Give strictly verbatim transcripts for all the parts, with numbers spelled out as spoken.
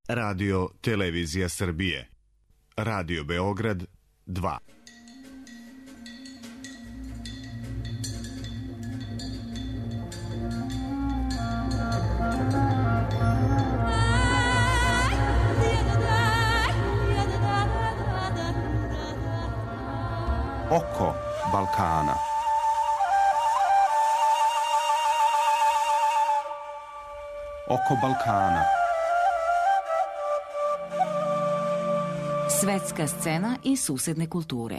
Radio Televizija Srbije. Radio Beograd dva. Oko Balkana. Oko Balkana. Svetska scena i susedne kulture.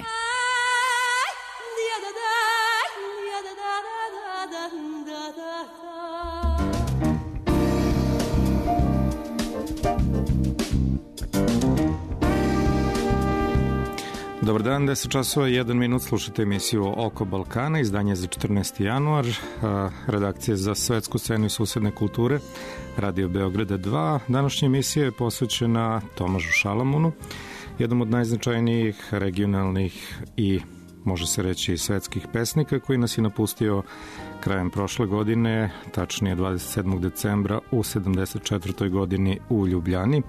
Dobar dan, deset časova i jedan minut, slušate emisiju Oko Balkana, izdanje za četrnaesti januar, redakcije za svetsku scenu i susedne kulture, Radio Beograda dva. Današnja emisija je posvećena Tomažu Šalamunu, jednom od najznačajnijih regionalnih i, može se reći, svetskih pesnika koji nas je napustio krajem prošle godine, tačnije dvadeset sedmog decembra u sedamdeset četvrtoj godini u Ljubljani.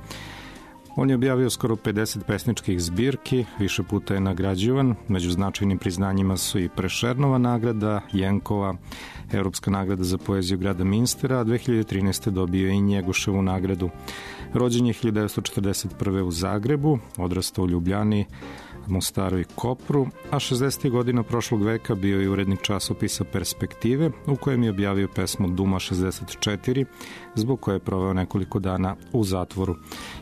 On je objavio skoro pedeset pesničkih zbirki, više puta je nagrađivan, među značajnim priznanjima su i Prešernova nagrada, Jenkova, Evropska nagrada za poeziju grada Minstera, a dve hiljade trinaeste. dobio je i Njegoševu nagradu. Rođen je hiljadu devetsto četrdeset prve. u Zagrebu, odrastao u Ljubljani, Mostaru i Kopru, a šezdesetih godina prošlog veka bio je urednik časopisa Perspektive, u kojem je objavio pesmu Duma šezdeset četiri, zbog koje je proveo nekoliko dana u zatvoru.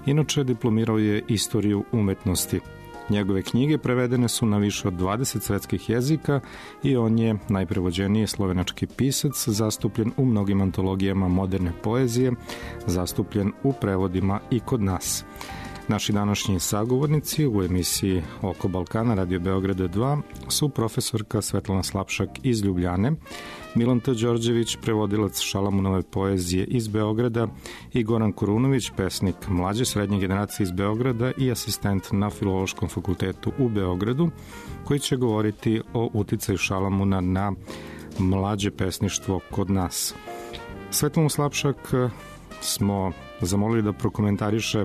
Inače, diplomirao je istoriju umetnosti. Njegove knjige prevedene su na više od dvadeset svetskih jezika i on je najprevođeniji slovenački pisac, zastupljen u mnogim antologijama moderne poezije, zastupljen u prevodima i kod nas. Naši današnji sagovornici u emisiji Oko Balkana Radio Beograda dva su profesorka Svetlana Slapšak iz Ljubljane, Milan T. Đorđević, prevodilac Šalamunove poezije iz Beograda, i Goran Kurunović, pesnik mlađe srednje generacije iz Beograda i asistent na Filološkom fakultetu u Beogradu, koji će govoriti o uticaju Šalamuna na mlađe pesništvo kod nas. Svetlanu Slapšak smo zamolili da prokomentariše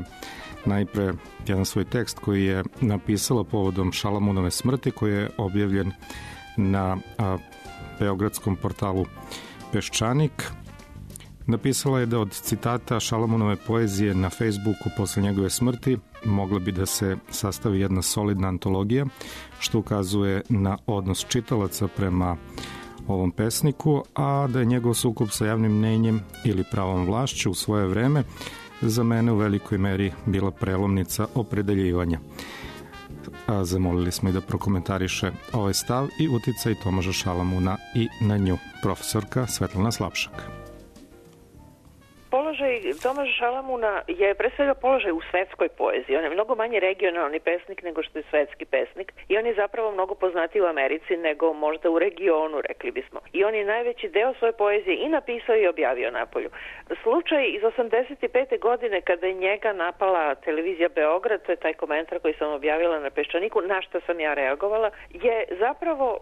najpre jedan svoj tekst koji je napisala povodom Šalamunove smrti, koji je objavljen na a, beogradskom portalu Peščanik. Napisala je da od citata Šalamunove poezije na Facebooku posle njegove smrti mogla bi da se sastavi jedna solidna antologija, što ukazuje na odnos čitalaca prema ovom pesniku, a da je njegov sukob sa javnim mnenjem ili pravom vlašću u svoje vreme za mene u velikoj meri bila prelomnica opredeljivanja. A zamolili smo i da prokomentariše ovaj stav i uticaj Tomaža Šalamuna i na nju. Profesorka Svetlana Slapšak. Položaj Tomaža Šalamuna je pre svega položaj u svetskoj poeziji. On je mnogo manje regionalni pesnik nego što je svetski pesnik i on je zapravo mnogo poznatiji u Americi nego možda u regionu, rekli bismo. I on je najveći deo svoje poezije i napisao i objavio napolju. Slučaj iz osamdeset pete. godine kada je njega napala televizija Beograd, to je taj komentar koji sam objavila na Peščaniku, na što sam ja reagovala, je zapravo e,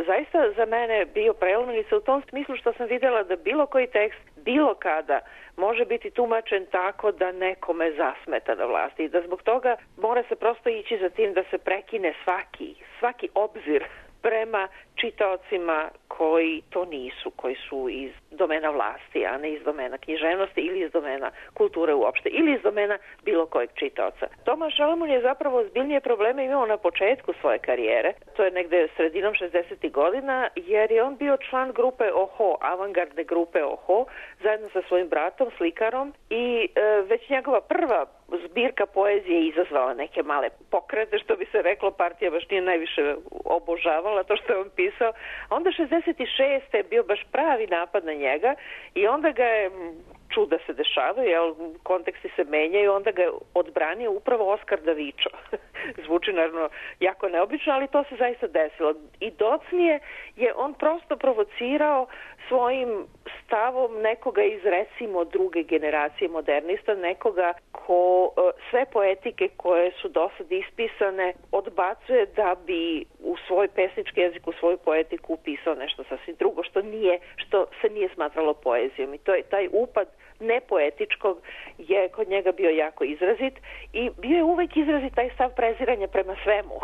zaista za mene bio prelomnica u tom smislu što sam videla da bilo koji tekst, bilo kada, može biti tumačen tako da nekome zasmeta na vlasti i da zbog toga mora se prosto ići za tim da se prekine svaki, svaki obzir prema čitaocima koji to nisu, koji su iz domena vlasti, a ne iz domena književnosti ili iz domena kulture uopšte, ili iz domena bilo kojeg čitaoca. Tomaž Šalamun je zapravo zbiljnije probleme imao na početku svoje karijere, to je negde sredinom šezdesetih godina, jer je on bio član grupe Oho, avangardne grupe Oho, zajedno sa svojim bratom, slikarom, i e, već njegova prva zbirka poezije izazvala neke male pokrete, što bi se reklo, partija baš nije najviše obožavala to što je on pisao. A onda šezdeset šeste. je bio baš pravi napad na njega i onda ga je, čuda se dešavaju, jel, konteksti se menjaju, onda ga je odbranio upravo Oskar Davičo. Zvuči naravno jako neobično, ali to se zaista desilo. I docnije je on prosto provocirao svojim stavom nekoga iz, recimo, druge generacije modernista, nekoga ko sve poetike koje su do sad ispisane odbacuje da bi u svoj pesnički jezik, u svoju poetiku upisao nešto sasvim drugo, što nije, što se nije smatralo poezijom. I to je taj upad nepoetičkog je kod njega bio jako izrazit i bio je uvek izrazit taj stav preziranja prema svemu.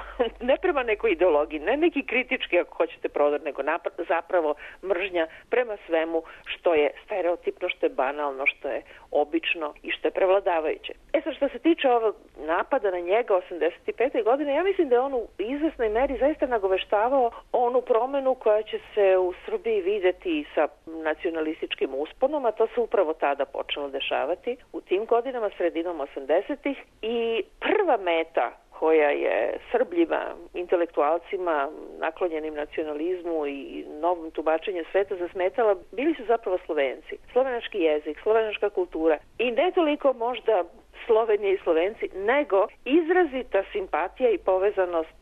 Ne prema nekoj ideologiji, ne neki kritički ako hoćete prodor, nego napad, zapravo mržnja prema svemu što je stereotipno, što je banalno, što je obično i što je prevladavajuće. E sad, što se tiče ovog napada na njega osamdeset pete. godine, ja mislim da je on u izvesnoj meri zaista nagoveštavao onu promenu koja će se u Srbiji videti sa nacionalističkim usponom, a to se upravo tada počelo dešavati u tim godinama, sredinom osamdesetih. I prva meta koja je Srbljima, intelektualcima, naklonjenim nacionalizmu i novom tumačenju sveta zasmetala, bili su zapravo Slovenci. Slovenački jezik, slovenačka kultura i ne toliko možda Slovenije i Slovenci, nego izrazita simpatija i povezanost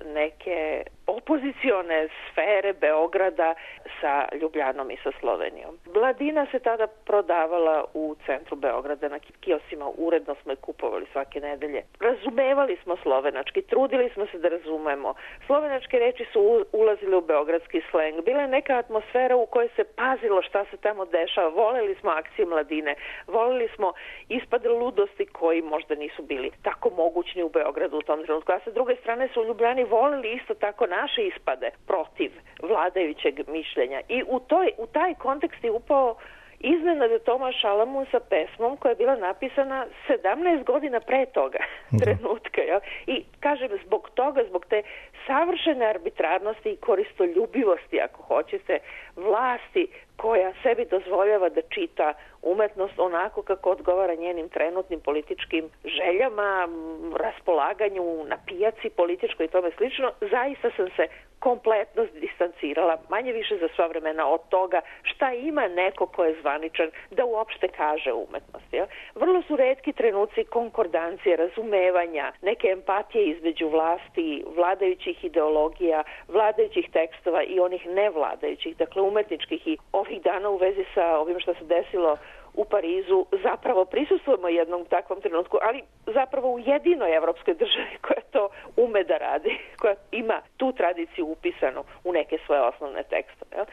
neke opozicione sfere Beograda sa Ljubljanom i sa Slovenijom. Mladina se tada prodavala u centru Beograda na kiosima, uredno smo je kupovali svake nedelje. Razumevali smo slovenački, trudili smo se da razumemo. Slovenačke reči su ulazile u beogradski sleng. Bila je neka atmosfera u kojoj se pazilo šta se tamo dešava. Voleli smo akcije mladine, voleli smo ispade ludosti koji možda nisu bili tako mogućni u Beogradu u tom trenutku. A sa druge strane su Ljubljani voleli isto tako naše ispade protiv vladajućeg mišljenja. I u, toj, u taj kontekst je upao iznenada Tomaš Šalamun sa pesmom koja je bila napisana sedamnaest godina pre toga trenutka. Ja? I kažem, zbog toga, zbog te savršene arbitrarnosti i koristoljubivosti, ako hoćete, vlasti koja sebi dozvoljava da čita umetnost onako kako odgovara njenim trenutnim političkim željama, raspolaganju na pijaci političkoj i tome slično, zaista sam se kompletno distancirala, manje više za sva vremena od toga šta ima neko ko je zvaničan da uopšte kaže umetnost. Ja? Vrlo su retki trenuci konkordancije, razumevanja, neke empatije između vlasti, vladajućih ideologija, vladajućih tekstova i onih nevladajućih, dakle umetničkih. I ovih dana u vezi sa ovim što se desilo u Parizu zapravo prisustvujemo jednom takvom trenutku, ali zapravo u jedinoj evropskoj državi koja to ume da radi, koja ima tu tradiciju upisanu u neke svoje osnovne tekstove. Jel?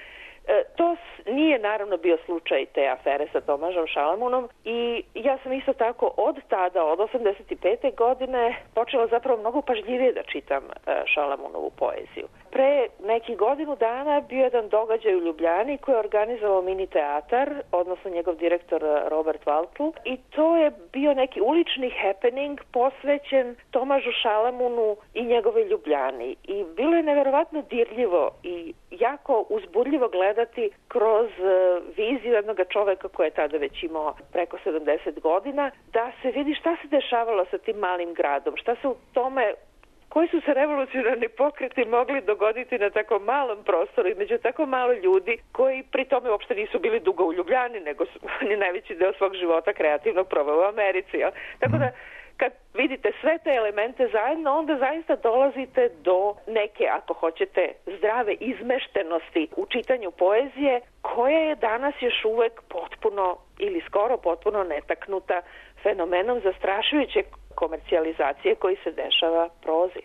E, to nije naravno bio slučaj te afere sa Tomažom Šalamunom i ja sam isto tako od tada, od osamdeset pete. godine počela zapravo mnogo pažljivije da čitam e, Šalamunovu poeziju. Pre nekih godinu dana bio jedan događaj u Ljubljani koji je organizovao mini teatar, odnosno njegov direktor Robert Valtl, i to je bio neki ulični happening posvećen Tomažu Šalamunu i njegove Ljubljani. I bilo je neverovatno dirljivo i jako uzbudljivo gledati kroz viziju jednog čoveka koji je tada već imao preko sedamdeset godina, da se vidi šta se dešavalo sa tim malim gradom, šta se u tome, koji su se revolucionarni pokreti mogli dogoditi na tako malom prostoru i među tako malo ljudi koji pri tome uopšte nisu bili dugo u Ljubljani, nego su oni najveći deo svog života kreativnog proveo u Americi. Ja? Tako da kad vidite sve te elemente zajedno, onda zaista dolazite do neke, ako hoćete, zdrave izmeštenosti u čitanju poezije, koja je danas još uvek potpuno ili skoro potpuno netaknuta fenomenom zastrašujuće komercijalizacije koji se dešava prozi.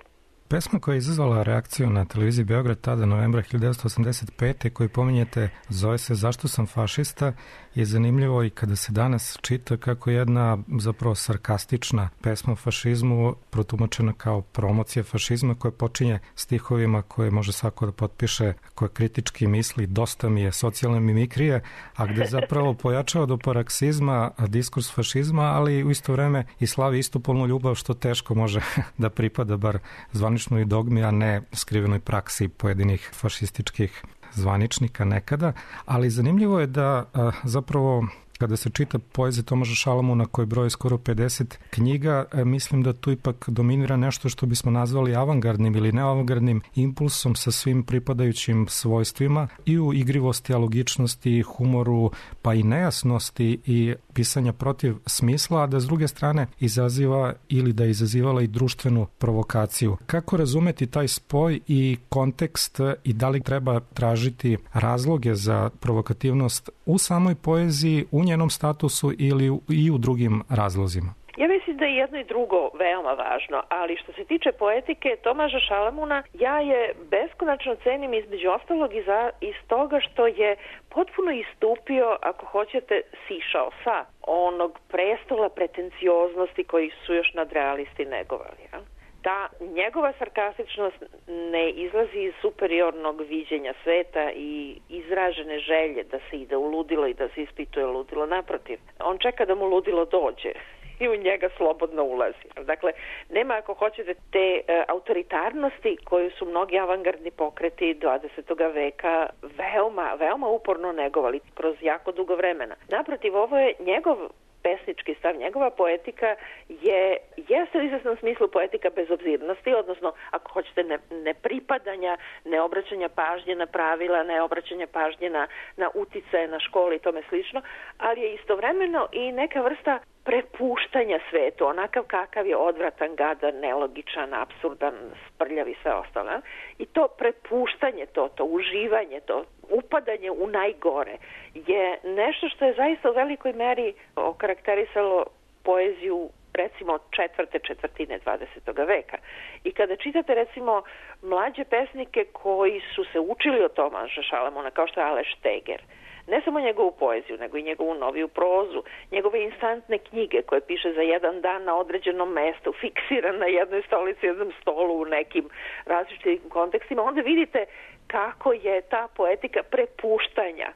Pesma koja je izazvala reakciju na televiziji Beograd tada novembra hiljadu devetsto osamdeset pete. koju pominjete, zove se Zašto sam fašista, je zanimljivo i kada se danas čita kako jedna zapravo sarkastična pesma o fašizmu protumačena kao promocija fašizma koja počinje stihovima koje može svako da potpiše, koje kritički misli dosta mi je socijalne mimikrije, a gde zapravo pojačava do paraksizma diskurs fašizma, ali u isto vreme i slavi istopolnu ljubav, što teško može da pripada bar zvaničnoj dogmi, a ne skrivenoj praksi pojedinih fašističkih zvaničnika nekada. Ali zanimljivo je da a, zapravo kada se čita poezija Tomaža Šalamuna koji broji skoro pedeset knjiga, mislim da tu ipak dominira nešto što bismo nazvali avangardnim ili neavangardnim impulsom sa svim pripadajućim svojstvima i u igrivosti, logičnosti, humoru, pa i nejasnosti i pisanja protiv smisla, a da s druge strane izaziva ili da je izazivala i društvenu provokaciju. Kako razumeti taj spoj i kontekst i da li treba tražiti razloge za provokativnost u samoj poeziji, u njenom statusu ili i u drugim razlozima? Ja mislim da je jedno i drugo veoma važno, ali što se tiče poetike Tomaža Šalamuna, ja je beskonačno cenim između ostalog iz, iz toga što je potpuno istupio, ako hoćete, sišao sa onog prestola pretencioznosti koji su još nadrealisti negovali. Ja? Ta njegova sarkastičnost ne izlazi iz superiornog viđenja sveta i izražene želje da se ide u ludilo i da se ispituje ludilo. Naprotiv, on čeka da mu ludilo dođe i u njega slobodno ulazi. Dakle, nema, ako hoćete, te e, autoritarnosti koju su mnogi avangardni pokreti dvadesetog veka veoma, veoma uporno negovali kroz jako dugo vremena. Naprotiv, ovo je njegov pesnički stav, njegova poetika je, jeste u izvesnom smislu poetika bezobzirnosti, odnosno, ako hoćete, ne, ne pripadanja, ne obraćanja pažnje na pravila, ne obraćanja pažnje na, na uticaje na školi i tome slično, ali je istovremeno i neka vrsta prepuštanja svetu, onakav kakav je odvratan, gadan, nelogičan, apsurdan, sprljav i sve ostalo. I to prepuštanje, to, to uživanje, to upadanje u najgore je nešto što je zaista u velikoj meri okarakterisalo poeziju recimo četvrte četvrtine dvadesetog veka. I kada čitate recimo mlađe pesnike koji su se učili od Tomaža Šalamuna, kao što je Aleš Steger, ne samo njegovu poeziju, nego i njegovu noviju prozu, njegove instantne knjige koje piše za jedan dan na određenom mestu, fiksiran na jednoj stolici, jednom stolu u nekim različitim kontekstima, onda vidite kako je ta poetika prepuštanja,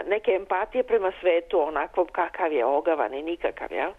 neke empatije prema svetu, onakvom kakav je, ogavan i nikakav, jel?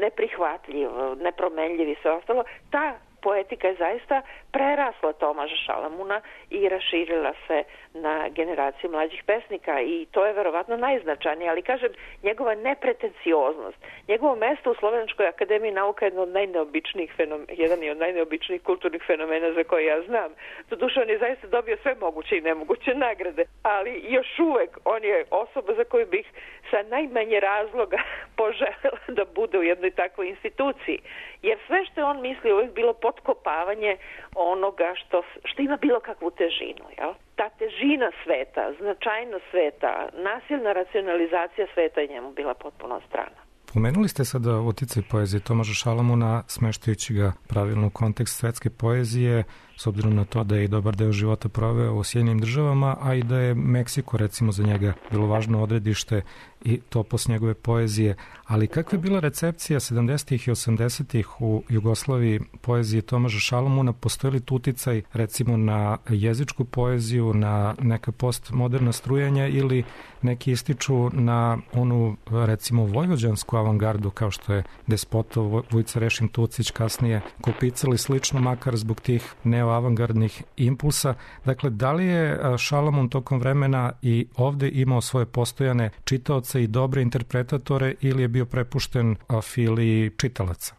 Neprihvatljiv, nepromenljiv i sve ostalo. Ta poetika je zaista prerasla Tomaža Šalamuna i raširila se na generaciju mlađih pesnika i to je verovatno najznačajnije, ali kažem, njegova nepretencioznost, njegovo mesto u Slovenačkoj akademiji nauka je jedno od najneobičnijih fenomena, jedan je od najneobičnijih kulturnih fenomena za koje ja znam. Doduše, on je zaista dobio sve moguće i nemoguće nagrade, ali još uvek on je osoba za koju bih sa najmanje razloga poželjela da bude u jednoj takvoj instituciji. Jer sve što je on mislio uvijek bilo potkopavanje onoga što, što ima bilo kakvu težinu. Jel? Ta težina sveta, značajnost sveta, nasilna racionalizacija sveta je njemu bila potpuno strana. Pomenuli ste sada uticaj poezije Tomaža Šalamuna, smeštajući ga pravilno u kontekst svetske poezije, s obzirom na to da je i dobar deo života proveo u Sjedinjenim državama, a i da je Meksiko recimo za njega bilo važno odredište i topos njegove poezije. Ali kakva je bila recepcija sedamdesetih i osamdesetih u Jugoslaviji poezije Tomaža Šalamuna? Postoji li tu uticaj recimo na jezičku poeziju, na neka postmoderna strujanja ili neki ističu na onu recimo vojvođansku avangardu kao što je Despotov, Vujca Rešin Tucić, kasnije Kopicali slično, makar zbog tih neoavangardnih impulsa. Dakle, da li je Šalamun tokom vremena i ovde imao svoje postojane čitaoce i dobre interpretatore ili je bio prepušten afiliji čitalaca?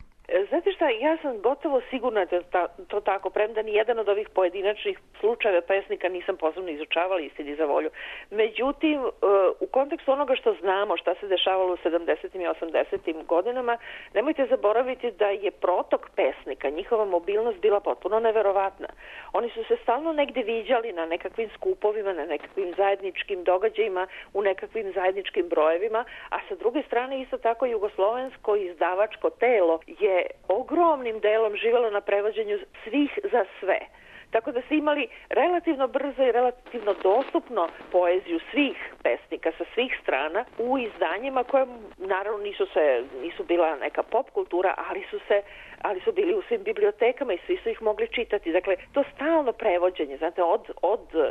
Znate šta, ja sam gotovo sigurna da ta, to tako, premda ni jedan od ovih pojedinačnih slučajeva pesnika nisam posebno izučavala, istini za volju. Međutim, u kontekstu onoga što znamo, šta se dešavalo u sedamdesetim i osamdesetim godinama, nemojte zaboraviti da je protok pesnika, njihova mobilnost bila potpuno neverovatna. Oni su se stalno negde viđali na nekakvim skupovima, na nekakvim zajedničkim događajima, u nekakvim zajedničkim brojevima, a sa druge strane isto tako jugoslovensko izdavačko telo je ogromnim delom živelo na prevođenju svih za sve. Tako da su imali relativno brzo i relativno dostupno poeziju svih pesnika sa svih strana u izdanjima koje naravno nisu se nisu bila neka pop kultura, ali su se ali su bili u svim bibliotekama i svi su ih mogli čitati. Dakle, to stalno prevođenje, znate, od, od uh,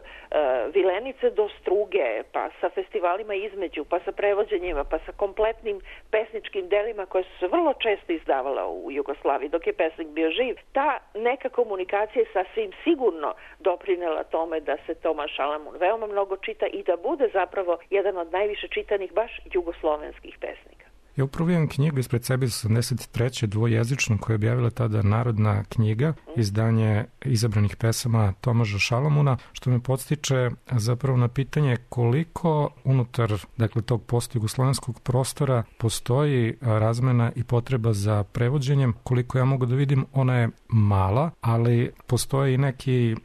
Vilenice do Struge, pa sa festivalima između, pa sa prevođenjima, pa sa kompletnim pesničkim delima koje su se vrlo često izdavala u Jugoslaviji dok je pesnik bio živ. Ta neka komunikacija je sasvim sigurno doprinela tome da se Tomaž Šalamun veoma mnogo čita i da bude zapravo jedan od najviše čitanih baš jugoslovenskih pesnika. Ja upravo imam knjigu ispred sebe iz osamdeset treće dvojezičnu koja je objavila tada Narodna knjiga, izdanje izabranih pesama Tomaža Šalamuna, što me podstiče zapravo na pitanje koliko unutar dakle, tog postjugoslovenskog prostora postoji razmena i potreba za prevođenjem. Koliko ja mogu da vidim, ona je mala, ali postoje i neki,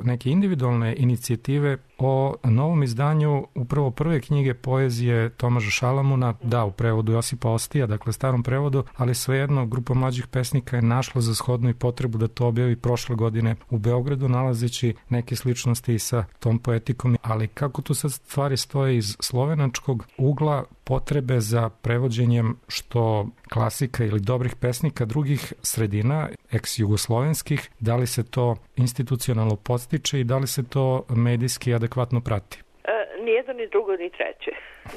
neke individualne inicijative o novom izdanju upravo prve knjige poezije Tomaža Šalamuna, da, u prevodu Josipa Ostija, dakle starom prevodu, ali svejedno grupa mlađih pesnika je našla za shodnu i potrebu da to objavi prošle godine u Beogradu, nalazeći neke sličnosti i sa tom poetikom, ali kako tu sad stvari stoje iz slovenačkog ugla potrebe za prevođenjem što klasika ili dobrih pesnika drugih sredina, ex-jugoslovenskih, da li se to institucionalno podstiče i da li se to medijski adekvatno prati? E, nijedno, ni drugo, ni treće,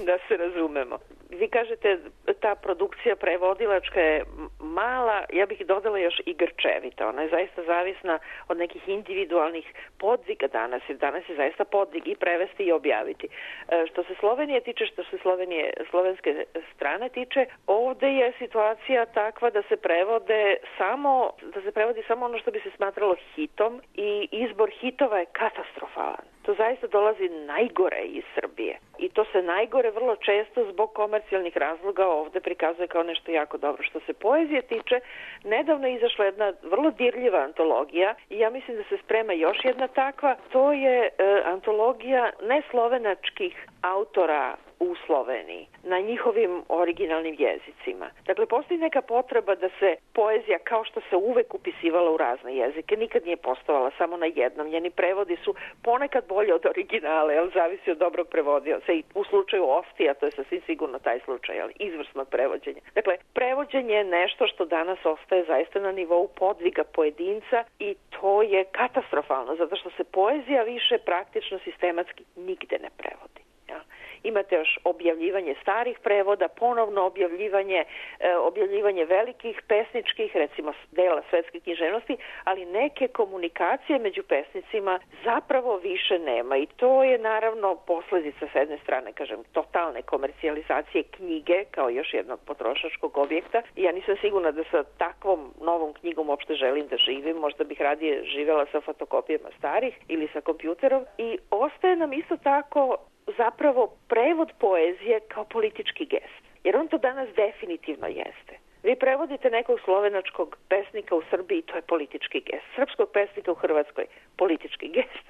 da se razumemo. Vi kažete ta produkcija prevodilačka je mala, ja bih dodala još i grčevita. Ona je zaista zavisna od nekih individualnih podviga danas, jer danas je zaista podvig i prevesti i objaviti. E, što se Slovenije tiče, što se Slovenije, slovenske strane tiče, ovde je situacija takva da se prevode samo, da se prevodi samo ono što bi se smatralo hitom i izbor hitova je katastrofalan. To zaista dolazi najgore iz Srbije. I to se najgore vrlo često zbog komercijalnih razloga ovde prikazuje kao nešto jako dobro. Što se poezije tiče, nedavno je izašla jedna vrlo dirljiva antologija i ja mislim da se sprema još jedna takva. To je e, antologija neslovenačkih autora u Sloveniji, na njihovim originalnim jezicima. Dakle, postoji neka potreba da se poezija, kao što se uvek upisivala u razne jezike, nikad nije postovala samo na jednom. Njeni prevodi su ponekad bolje od originale, ali zavisi od dobrog prevodioca. I u slučaju Ostija, to je sasvim sigurno taj slučaj, ali izvrsnog prevođenja. Dakle, prevođenje je nešto što danas ostaje zaista na nivou podviga pojedinca i to je katastrofalno, zato što se poezija više praktično sistematski nigde ne prevodi. Ja. Imate još objavljivanje starih prevoda, ponovno objavljivanje, e, objavljivanje velikih pesničkih, recimo dela svetske književnosti, ali neke komunikacije među pesnicima zapravo više nema i to je naravno posledica s jedne strane, kažem, totalne komercijalizacije knjige kao još jednog potrošačkog objekta. Ja nisam sigurna da sa takvom novom knjigom uopšte želim da živim, možda bih radije živjela sa fotokopijama starih ili sa kompjuterom i ostaje nam isto tako zapravo prevod poezije kao politički gest. Jer on to danas definitivno jeste. Vi prevodite nekog slovenačkog pesnika u Srbiji, to je politički gest. Srpskog pesnika u Hrvatskoj, politički gest.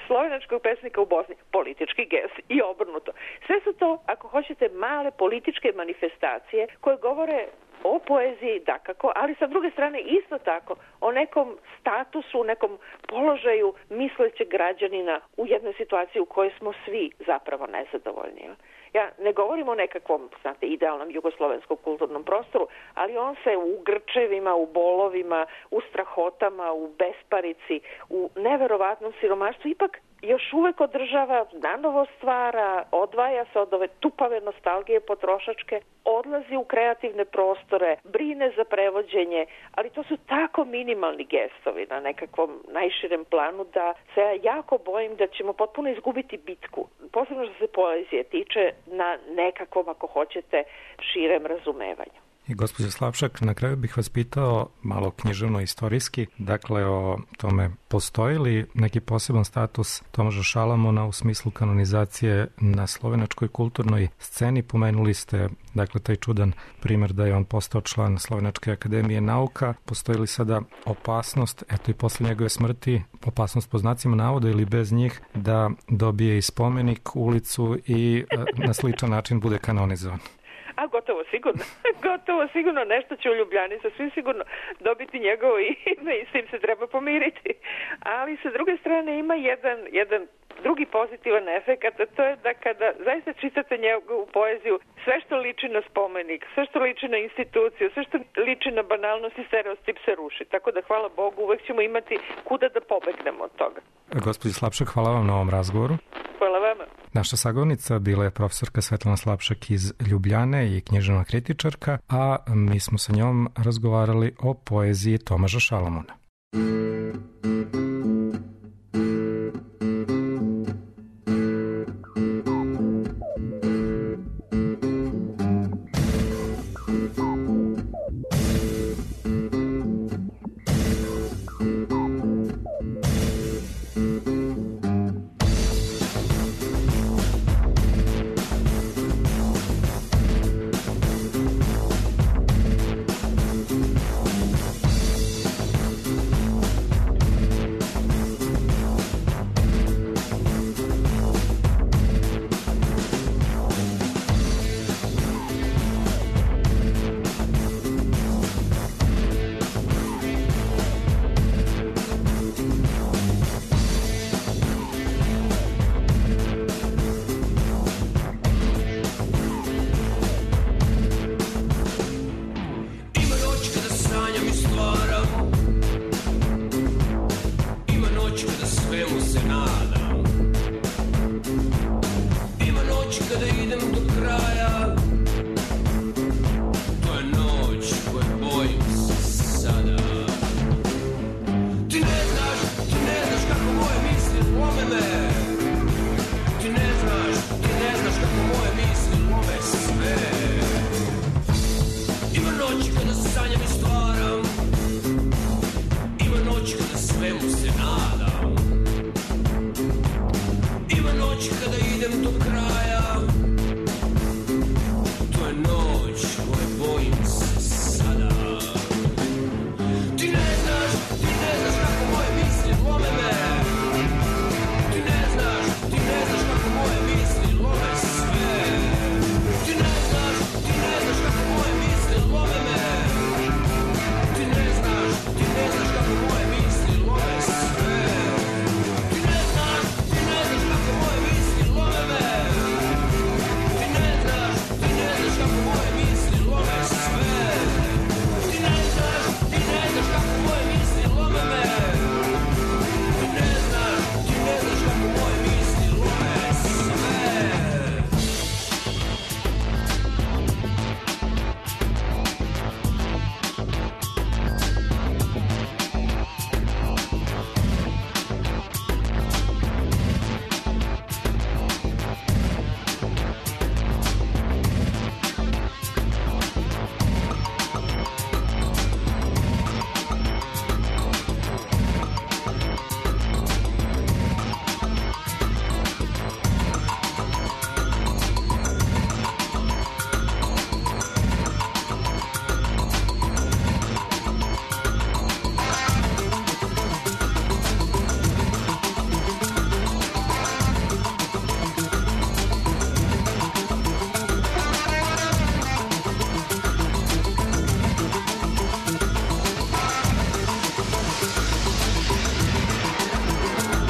Slovenačkog pesnika u Bosni, politički gest. I obrnuto. Sve su to, ako hoćete, male političke manifestacije koje govore o poeziji, dakako, ali sa druge strane isto tako o nekom statusu, u nekom položaju mislećeg građanina u jednoj situaciji u kojoj smo svi zapravo nezadovoljni. Ja ne govorim o nekakvom, znate, idealnom jugoslovenskom kulturnom prostoru, ali on se u grčevima, u bolovima, u strahotama, u besparici, u neverovatnom siromaštvu ipak još uvek održava, nanovo stvara, odvaja se od ove tupave nostalgije potrošačke, odlazi u kreativne prostore, brine za prevođenje, ali to su tako minimalni gestovi na nekakvom najširem planu da se ja jako bojim da ćemo potpuno izgubiti bitku. Posebno što se poezije tiče na nekakvom, ako hoćete, širem razumevanju. I gospođo Slapšak, na kraju bih vas pitao malo književno-istorijski, dakle o tome postoji li neki poseban status Tomaža Šalamuna u smislu kanonizacije na slovenačkoj kulturnoj sceni? Pomenuli ste, dakle, taj čudan primer da je on postao član Slovenačke akademije nauka. Postoji li sada opasnost, eto i posle njegove smrti, opasnost po znacima navoda ili bez njih, da dobije i spomenik, ulicu i na sličan način bude kanonizovan? A gotovo sigurno, gotovo sigurno nešto će u Ljubljani sasvim sigurno dobiti njegovo ime i s tim se treba pomiriti. Ali sa druge strane ima jedan, jedan drugi pozitivan efekt, a to je da kada zaista čitate njegovu poeziju, sve što liči na spomenik, sve što liči na instituciju, sve što liči na banalnost i stereotip se ruši. Tako da, hvala Bogu, uvek ćemo imati kuda da pobegnemo od toga. Gospođo Slapšak, hvala vam na ovom razgovoru. Hvala vama. Naša sagovornica bila je profesorka Svetlana Slapšak iz Ljubljane i književna kritičarka, a mi smo sa njom razgovarali o poeziji Tomaža Šalamuna. sanjam i stvaram. Ima noć kada svemu se nadam. Ima noć kada idem do kraja. To je noć koje bojim se sada. Ti ne znaš, ti ne znaš kako moje misli lome me. Ti ne znaš, ti ne znaš kako moje misli lome sve. Ti ne znaš, ti ne znaš kako moje misli lome me. Ti ne znaš, ti ne znaš kako moje misli lome sve. Ti ne znaš, ti ne znaš kako moje misli lome me. Ti ne znaš, ti ne znaš kako moje misli lome sve. Ti ne znaš, ti ne znaš kako moje misli lome me. Ti ne znaš, ti ne znaš kako moje misli lome sve. Ti ne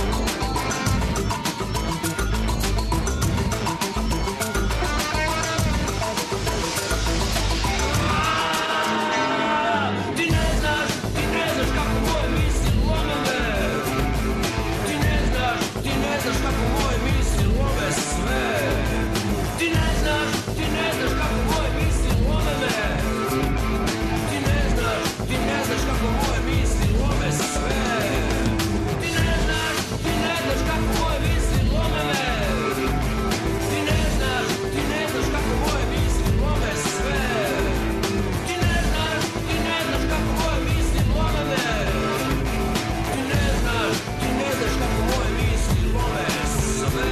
znaš, ti ne znaš kako moje misli lome me. Ti ne znaš, ti ne znaš kako moje misli lome sve. Ti ne znaš, ti ne znaš kako moje misli lome me. Ti ne znaš, ti ne znaš kako moje misli lome sve. Ti ne znaš, ti ne znaš kako moje misli lome me. Ti ne znaš, ti ne znaš kako moje misli lome sve. Ti ne znaš, ti ne znaš kako moje misli lome me. Ti ne znaš, ti ne znaš kako moje misli lome sve.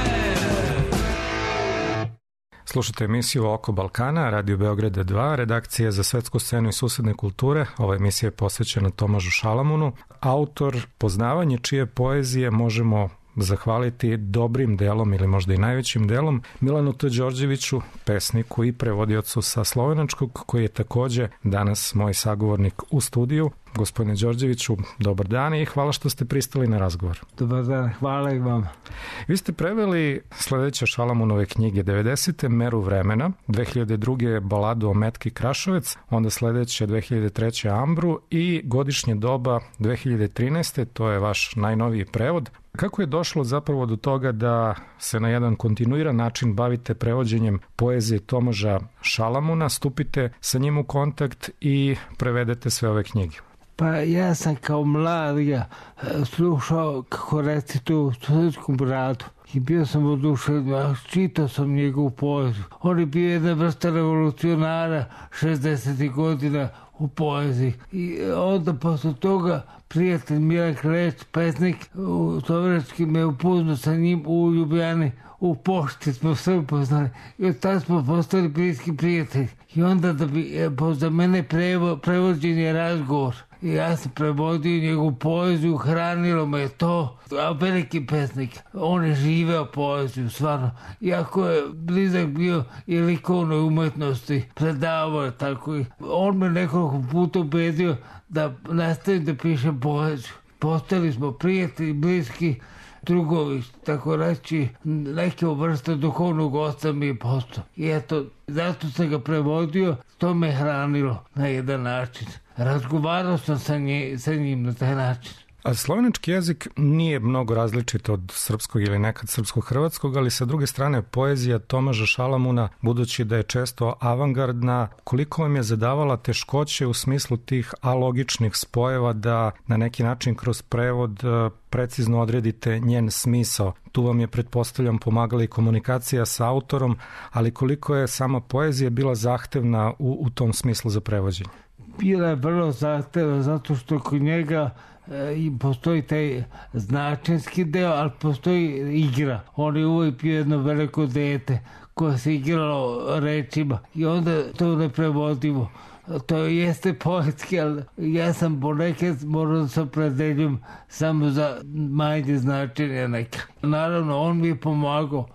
Slušajte emisiju Oko Balkana, Radio Beograda dva, redakcija za svetsku scenu i susedne kulture. Ova emisija je posvećena Tomažu Šalamunu, autor poznavanje čije poezije možemo zahvaliti dobrim delom ili možda i najvećim delom Milanu T. Đorđeviću, pesniku i prevodiocu sa slovenačkog, koji je takođe danas moj sagovornik u studiju. Gospodine Đorđeviću, dobar dan i hvala što ste pristali na razgovor. Dobar dan, hvala i vam. Vi ste preveli sledeće Šalamunove knjige: devedesete Meru vremena, dve hiljade druge Baladu o Metki Krašovec, onda sledeće dve hiljade treće Ambru i Godišnje doba dve hiljade trinaeste. To je vaš najnoviji prevod. Kako je došlo zapravo do toga da se na jedan kontinuiran način bavite prevođenjem poezije Tomaža Šalamuna, stupite sa njim u kontakt i prevedete sve ove knjige? Pa ja sam kao mlad ga slušao kako recituje u studentskom radu i bio sam oduševljen, čitao sam njegovu poeziju. On je bio jedna vrsta revolucionara šezdesetih godina u poeziji. I onda posle toga prijatelj Milan Kleć, pesnik u Slovenački, me upoznao sa njim u Ljubljani. U pošti smo sve upoznali i od tada smo postali bliski prijatelji. I onda da bi za mene prevo, prevođen je razgovor. I ja sam prevodio njegovu poeziju, hranilo me to. A veliki pesnik, on je živeo poeziju, stvarno. Iako je blizak bio i likovnoj umetnosti, predavao je tako. On me nekoliko puta ubedio da nastavim da pišem poeziju. Postali smo prijatelji, bliski, drugovi, tako reći, neke vrste duhovnog oca mi je postao. I eto, zato sam ga prevodio, to me hranilo na jedan način. Razgovarao sam sa, nje, sa njim na taj način. A slovenački jezik nije mnogo različit od srpskog ili nekad srpsko-hrvatskog, ali sa druge strane poezija Tomaža Šalamuna, budući da je često avangardna, koliko vam je zadavala teškoće u smislu tih alogičnih spojeva da na neki način kroz prevod precizno odredite njen smisao? Tu vam je, pretpostavljam, pomagala i komunikacija sa autorom, ali koliko je sama poezija bila zahtevna u, u tom smislu za prevođenje? bila je vrlo zahtevna zato što kod njega i postoji taj značenski deo, ali postoji igra. On je uvijek bio jedno veliko dete koje se igralo rečima i onda to neprevodivo. To jeste poetski, ali ja sam ponekad morao da se opredeljim samo za manje značenja neka. Naravno, on mi je pomagao,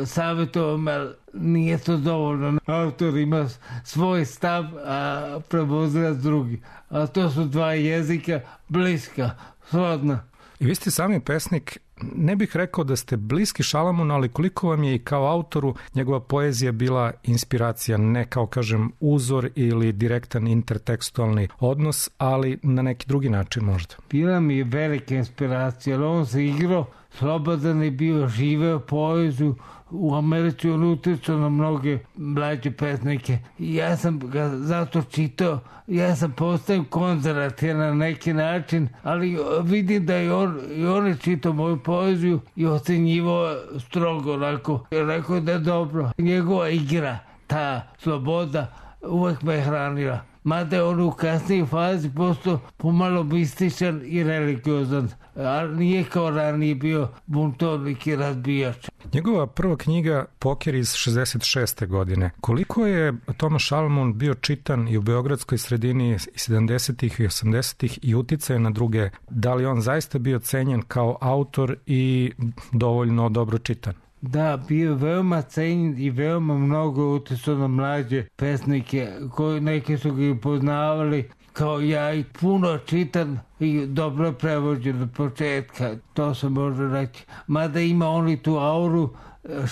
savjetovao me, ali nije to dovoljno. Autor ima svoj stav, a prevodilac drugi. A to su dva jezika bliska, srodna. I vi ste sami pesnik, ne bih rekao da ste bliski Šalamunu, ali koliko vam je i kao autoru njegova poezija bila inspiracija, ne kao, kažem, uzor ili direktan intertekstualni odnos, ali na neki drugi način možda? Bila mi je velika inspiracija, ali on se igrao, slobodan je bio, živeo poeziju. U Americi on utjecao na mnoge mlađe pesnike. I ja sam ga zato čitao. Ja sam postao konzervativan na neki način, ali vidim da i on, i on je čitao moju poeziju i ocenjivao strogo onako. Rekao da je dobro. Njegova igra, ta sloboda, uvek me je hranila. Mada je on u kasnijoj fazi postao pomalo mističan i religiozan, ali nije kao ranije bio buntovnik i razbijač. Njegova prva knjiga Poker iz šezdeset šeste godine. Koliko je Toma Šalamun bio čitan i u beogradskoj sredini sedamdesetih i osamdesetih i uticaje na druge? Da li on zaista bio cenjen kao autor i dovoljno dobro čitan? Da, bio je veoma cenjen i veoma mnogo utjecao na mlađe pesnike, koji neki su ga poznavali kao ja i puno čitan i dobro prevođen od početka, to se može reći. Mada ima on i tu auru,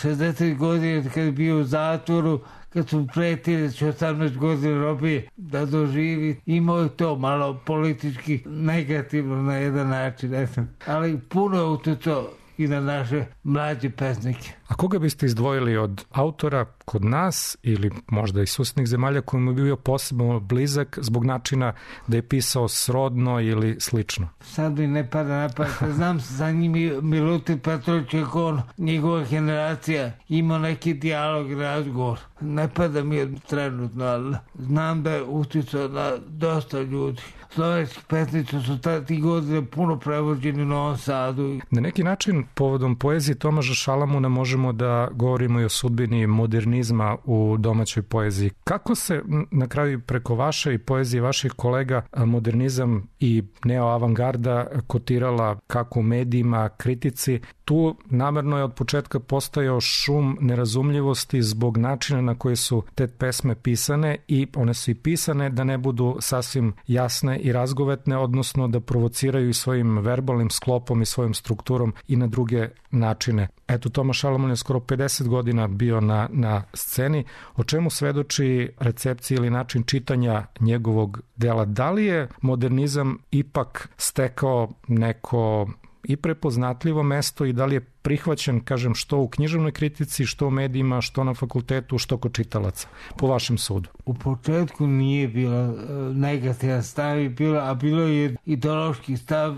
šezdeset godina kad je bio u zatvoru, kad su pretili da će osamnaest godina robije da doživi, imao je to malo politički negativno na jedan način, ne znam. Ali puno je utjecao i na naše mlađe pesnike. A koga biste izdvojili od autora kod nas ili možda i susjednih zemalja kojim je bio posebno blizak zbog načina da je pisao srodno ili slično? Sad mi ne pada na pamet. Znam za njim Milutin Petrović, kako on, njegova generacija, imao neki dijalog i razgovor. Ne pada mi trenutno, ali znam da je utjecao na dosta ljudi. Slovenski pesnici su ti godine puno prevođeni u Novom Sadu. Na neki način, povodom poezije Tomaža Šalamuna možemo da govorimo i o sudbini modernizma u domaćoj poeziji. Kako se na kraju preko vaše i poezije vaših kolega modernizam i neoavangarda kotirala kako u medijima, kritici? Tu namerno je od početka postojao šum nerazumljivosti zbog načina na koje su te pesme pisane i one su i pisane da ne budu sasvim jasne i razgovetne, odnosno da provociraju i svojim verbalnim sklopom i svojom strukturom i na druge načine. Eto, Toma Šalamun je skoro pedeset godina bio na, na sceni, o čemu svedoči recepcija ili način čitanja njegovog dela. Da li je modernizam ipak stekao neko i prepoznatljivo mesto i da li je prihvaćen, kažem, što u književnoj kritici, što u medijima, što na fakultetu, što kod čitalaca, po vašem sudu? U početku nije bilo negativan stav, a bilo je ideološki stav,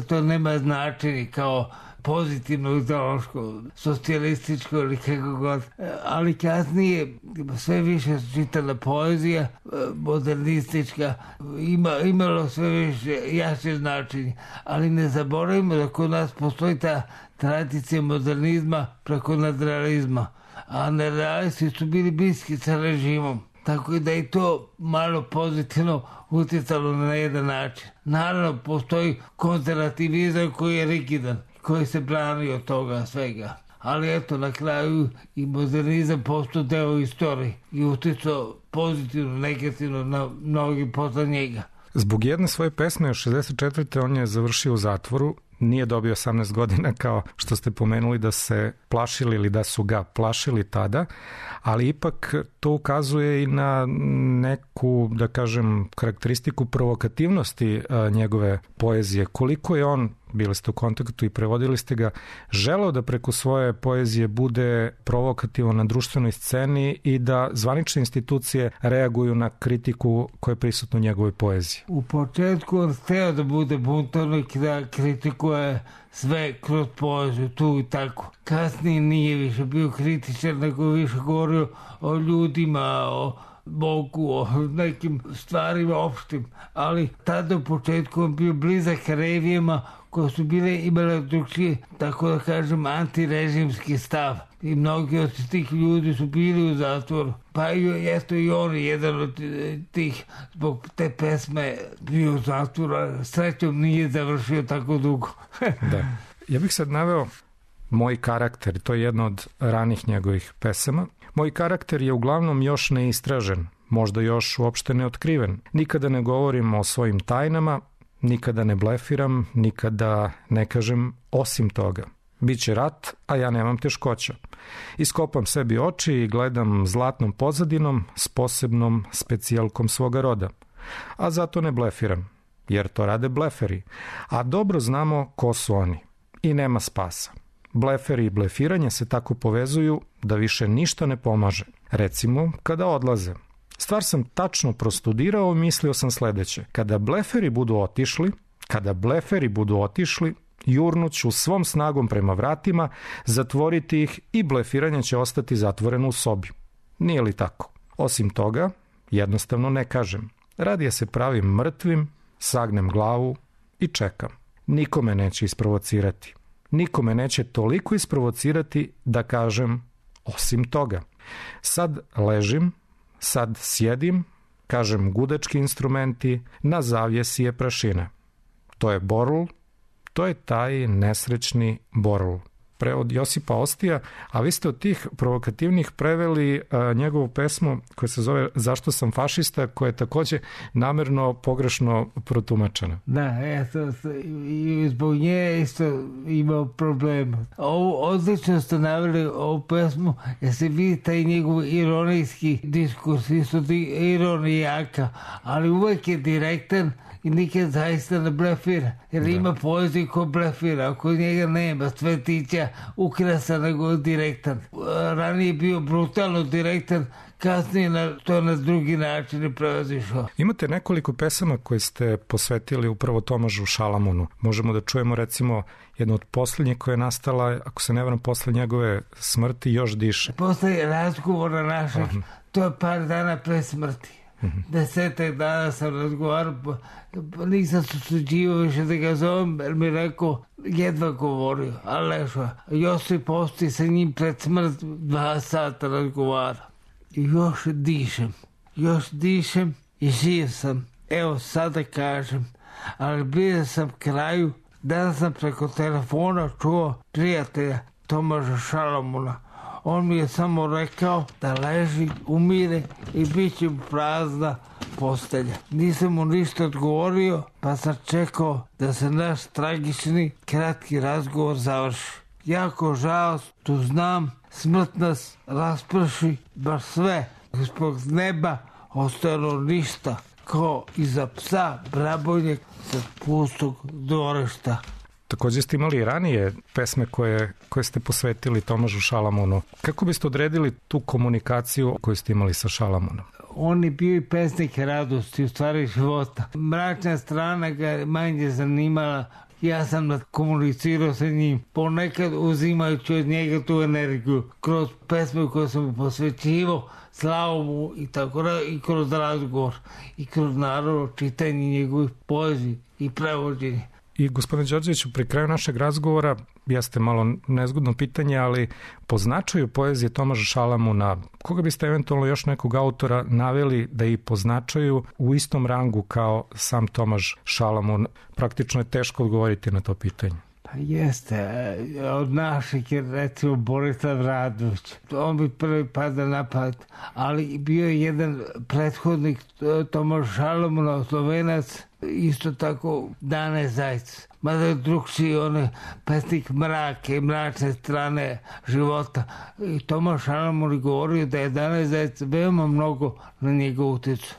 to nema značenje kao pozitivno ideološko, socijalističko ili kako god. Ali kasnije sve više čitana poezija, modernistička, ima, imalo sve više jače značenje. Ali ne zaboravimo da kod nas postoji ta tradicija modernizma preko nadrealizma. A nadrealisti su bili bliski sa režimom. Tako da je to malo pozitivno utjecalo na jedan način. Naravno, postoji konzervativizam koji je rigidan, koji se brani od toga svega. Ali eto, na kraju i modernizam postao deo istorije i utjecao pozitivno, negativno na mnogi posle njega. Zbog jedne svoje pesme od šezdeset četvrte on je završio u zatvoru, nije dobio osamnaest godina kao što ste pomenuli da se plašili ili da su ga plašili tada, ali ipak to ukazuje i na neku, da kažem, karakteristiku provokativnosti a, njegove poezije. Koliko je on, bili ste u kontaktu i prevodili ste ga, želeo da preko svoje poezije bude provokativan na društvenoj sceni i da zvanične institucije reaguju na kritiku koja je prisutna u njegovoj poeziji? U početku on hteo da bude buntovnik, da kritikuje sve kroz poeziju, tu i tako. Kasnije nije više bio kritičan, nego više govorio o ljudima, o Bogu, o nekim stvarima opštim, ali tada u početku on bio blizak revijama koje su bile imale drugčije, tako da kažem, antirežimski stav. I mnogi od tih ljudi su bili u zatvoru. Pa i eto i on jedan od tih zbog te pesme bio u zatvoru, a srećom nije završio tako dugo. Da. Ja bih sad naveo Moj karakter, to je jedna od ranih njegovih pesama. Moj karakter je uglavnom još neistražen, možda još uopšte neotkriven. Nikada ne govorim o svojim tajnama, nikada ne blefiram, nikada ne kažem osim toga. Biće rat, a ja nemam teškoća. Iskopam sebi oči i gledam zlatnom pozadinom s posebnom specijalkom svoga roda. A zato ne blefiram, jer to rade bleferi. A dobro znamo ko su oni. I nema spasa. Bleferi i blefiranje se tako povezuju da više ništa ne pomaže. Recimo, kada odlaze. Stvar sam tačno prostudirao i mislio sam sledeće. Kada bleferi budu otišli, kada bleferi budu otišli, jurnuću svom snagom prema vratima, zatvoriti ih i blefiranje će ostati zatvoreno u sobi. Nije li tako? Osim toga, jednostavno ne kažem. Radije se pravim mrtvim, sagnem glavu i čekam. Nikome neće isprovocirati. Nikome neće toliko isprovocirati da kažem osim toga. Sad ležim, sad sjedim, kažem gudački instrumenti, na zavjesi je prašine. To je Borul, to je taj nesrećni Borul. Prevod Josipa Ostija, a vi ste od tih provokativnih preveli a, njegovu pesmu koja se zove Zašto sam fašista, koja je takođe namerno pogrešno protumačena. Da, eto, i zbog nje isto imao problem. Ovo odlično ste naveli ovu pesmu, jer se vidi taj njegov ironijski diskurs, isto ironijaka, ali uvek je direktan i nikad zaista ne blefira, jer da. Ima poeziju ko blefira, ako njega nema Svetića ukrasa nego direktan. Ranije je bio brutalno direktan, kasnije na, to na drugi način je prevazišao. Imate nekoliko pesama koje ste posvetili upravo Tomažu Šalamunu. Možemo da čujemo recimo jednu od poslednjih koja je nastala, ako se ne varam, posle njegove smrti, Još diše. Posle razgovora našeg, uh-huh. To je par dana pre smrti. Mm-hmm. Desetak dana sam razgovarao, nisam se suđivao više da ga zovem, jer mi rekao, jedva govorio, ali lešao. Josip Osti sa njim pred smrt dva sata razgovara. I još dišem, još dišem i živ sam. Evo sada kažem, ali bio sam kraju, danas sam preko telefona čuo prijatelja Tomaža Šalamuna. On mi je samo rekao da leži, umire i bit će mu prazna postelja. Nisam mu ništa odgovorio, pa sam čekao da se naš tragični, kratki razgovor završi. Jako žao, tu znam, smrt nas rasprši, baš sve. Ispod neba ostalo ništa, ko iza psa brabojnjeg sa pustog dvorišta. Takođe ste imali ranije pesme koje, koje ste posvetili Tomažu Šalamunu. Kako biste odredili tu komunikaciju koju ste imali sa Šalamunom? On je bio i pesnik radosti, u stvari života. Mračna strana ga manje zanimala. Ja sam komunicirao sa njim, ponekad uzimajući od njega tu energiju. Kroz pesme koje sam mu posvećivao, slao mu i tako da, i kroz razgovor. I kroz naravno čitanje njegovih poeziji i prevođenje. I gospodine Đorđeviću, pri kraju našeg razgovora, jeste malo nezgodno pitanje, ali po značaju poezije Tomaža Šalamuna, koga biste eventualno još nekog autora naveli da i po značaju u istom rangu kao sam Tomaž Šalamun? Praktično je teško odgovoriti na to pitanje. Pa jeste, od naših je recimo Borislav Radović, on bi prvi pada na pamet, ali bio je jedan prethodnik Tomaž Šalamuna, Slovenac, isto tako Dane Zajc. Mada je drugčiji, on je pesnik mrake i mračne strane života. I Tomaž Šalamun je govorio da je Dane Zajc veoma mnogo na njega uticu.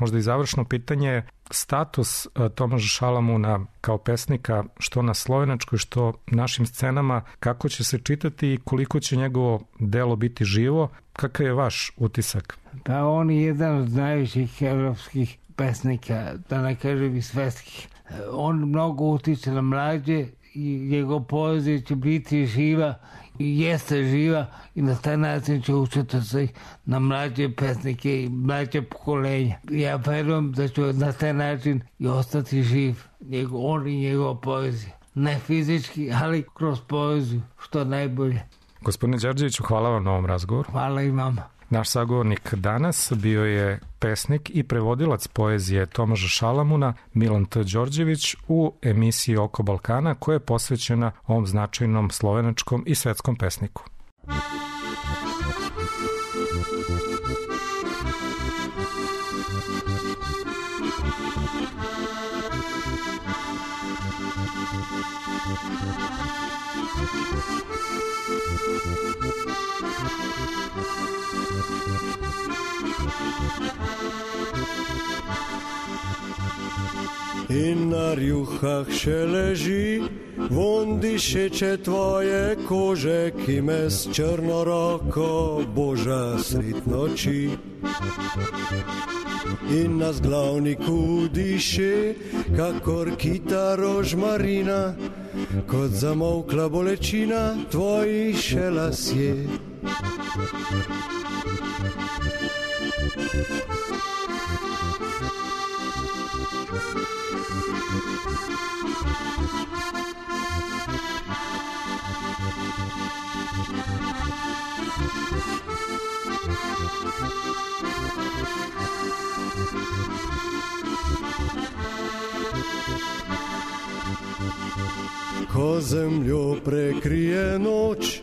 Možda i završno pitanje, status Tomaža Šalamuna kao pesnika, što na slovenačkoj, što našim scenama, kako će se čitati i koliko će njegovo delo biti živo, kakav je vaš utisak? Pa on je jedan od najviših evropskih pesnika, da ne kažem i svetskih. On mnogo utiče na mlađe i njegov poezija će biti živa jeste živa i na taj način će učiti se na mlađe pesnike i mlađe pokolenja. Ja verujem da će na taj način i ostati živ njegov, on i njegova poezija. Ne fizički, ali kroz poeziju, što najbolje. Gospodine Đorđeviću, hvala vam na ovom razgovoru. Hvala i vama. Naš sagovornik danas bio je pesnik i prevodilac poezije Tomaža Šalamuna, Milan T. Đorđević, u emisiji Oko Balkana, koja je posvećena ovom značajnom slovenačkom i svetskom pesniku. In na rjuhah še leži, von dišeče tvoje kože, ki me s črno roko boža sred noči. In na zglavniku diše, kakor kita rožmarina, kot zamolkla bolečina tvojih še lasje. Ko zemljo prekrije noč,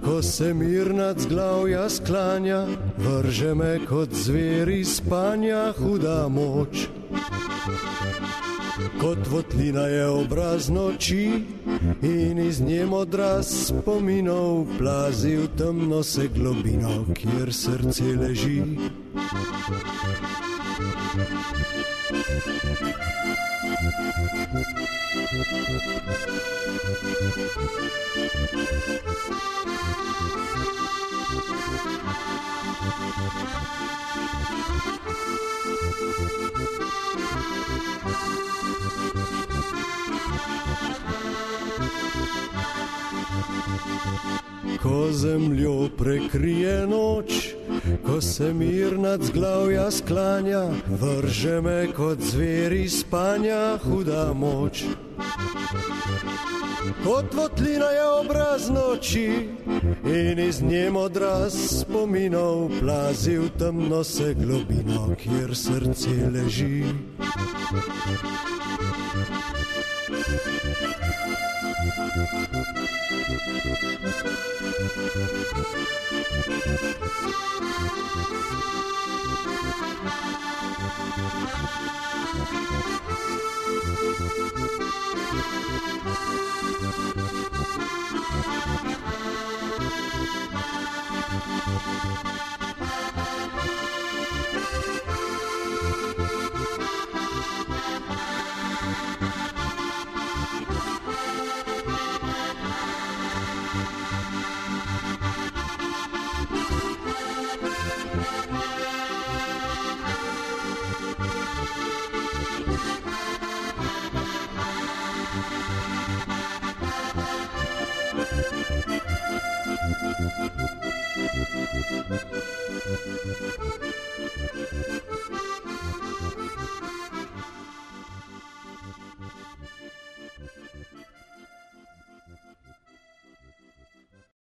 ko se mir nad zglavja sklanja, vrže me kot zver iz spanja huda moč. Kot votlina je obraz noči in iz nje odraz spominov plazi v temno se globino, kjer srce leži. Ko zemljo prekrije noč, ko se mir nad zglavja sklanja, vrže me kot zver iz spanja huda moč. Kot votlina je obraz noči in iz nje odraz spominov plazi v temno se globino, kjer srce leži.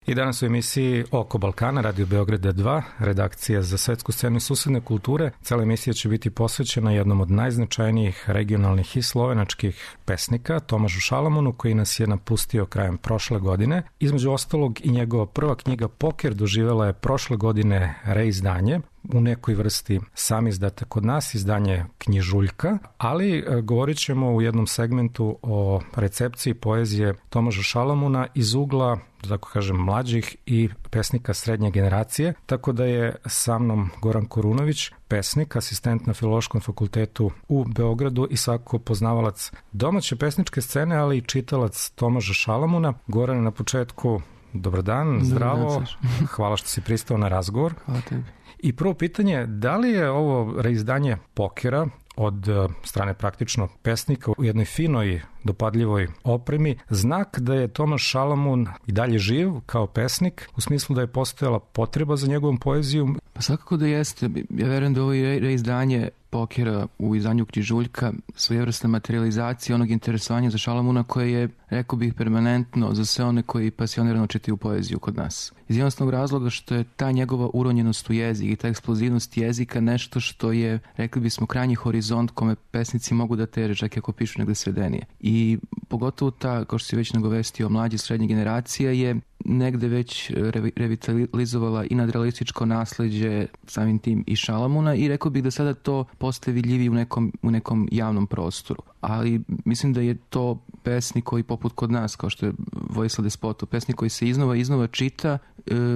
I danas u emisiji Oko Balkana, Radio Beograda dva, redakcija za svetsku scenu i susedne kulture. Cela emisija će biti posvećena jednom od najznačajnijih regionalnih i slovenačkih pesnika, Tomažu Šalamunu, koji nas je napustio krajem prošle godine. Između ostalog i njegova prva knjiga Poker doživela je prošle godine reizdanje, u nekoj vrsti sam izdata kod nas, izdanje knjižuljka, ali govorit ćemo u jednom segmentu o recepciji poezije Tomaža Šalamuna iz ugla, da tako kažem, mlađih i pesnika srednje generacije, tako da je sa mnom Goran Korunović, pesnik, asistent na Filološkom fakultetu u Beogradu i svakako poznavalac domaće pesničke scene, ali i čitalac Tomaža Šalamuna. Goran, na početku, dobar dan, zdravo, hvala što si pristao na razgovor. Hvala tebi. I prvo pitanje, da li je ovo reizdanje Pokera od strane praktično pesnika u jednoj finoj, dopadljivoj opremi, znak da je Tomaš Šalamun i dalje živ kao pesnik, u smislu da je postojala potreba za njegovom poezijom? Pa svakako da jeste. Ja verujem da ovo je reizdanje Pokera u izdanju Križuljka svojevrsna materializacija onog interesovanja za Šalamuna koje je, rekao bih, permanentno za sve one koji pasionirano čitaju poeziju kod nas. Iz jednostavnog razloga što je ta njegova uronjenost u jezik i ta eksplozivnost jezika nešto što je, rekli bismo, krajnji horizont kome pesnici mogu da teže, čak i ako pišu negde svedenije. I pogotovo ta, kao što si već nagovestio, mlađe srednje generacija je negde već revitalizovala i nadrealističko nasleđe, samim tim i Šalamuna, i rekao bih da sada to postaje vidljiviji u nekom, u nekom javnom prostoru. Ali mislim da je to pesnik koji poput kod nas, kao što je Vojislav Despotov, pesnik koji se iznova iznova čita,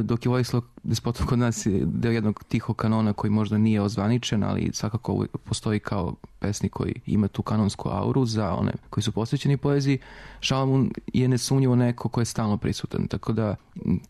dok je Vojislav Despotov kod nas deo jednog tihog kanona koji možda nije ozvaničen, ali svakako postoji kao pesnik koji ima tu kanonsku auru za one koji su posvećeni poeziji. Šalamun je nesumnjivo neko ko je stalno prisutan, tako da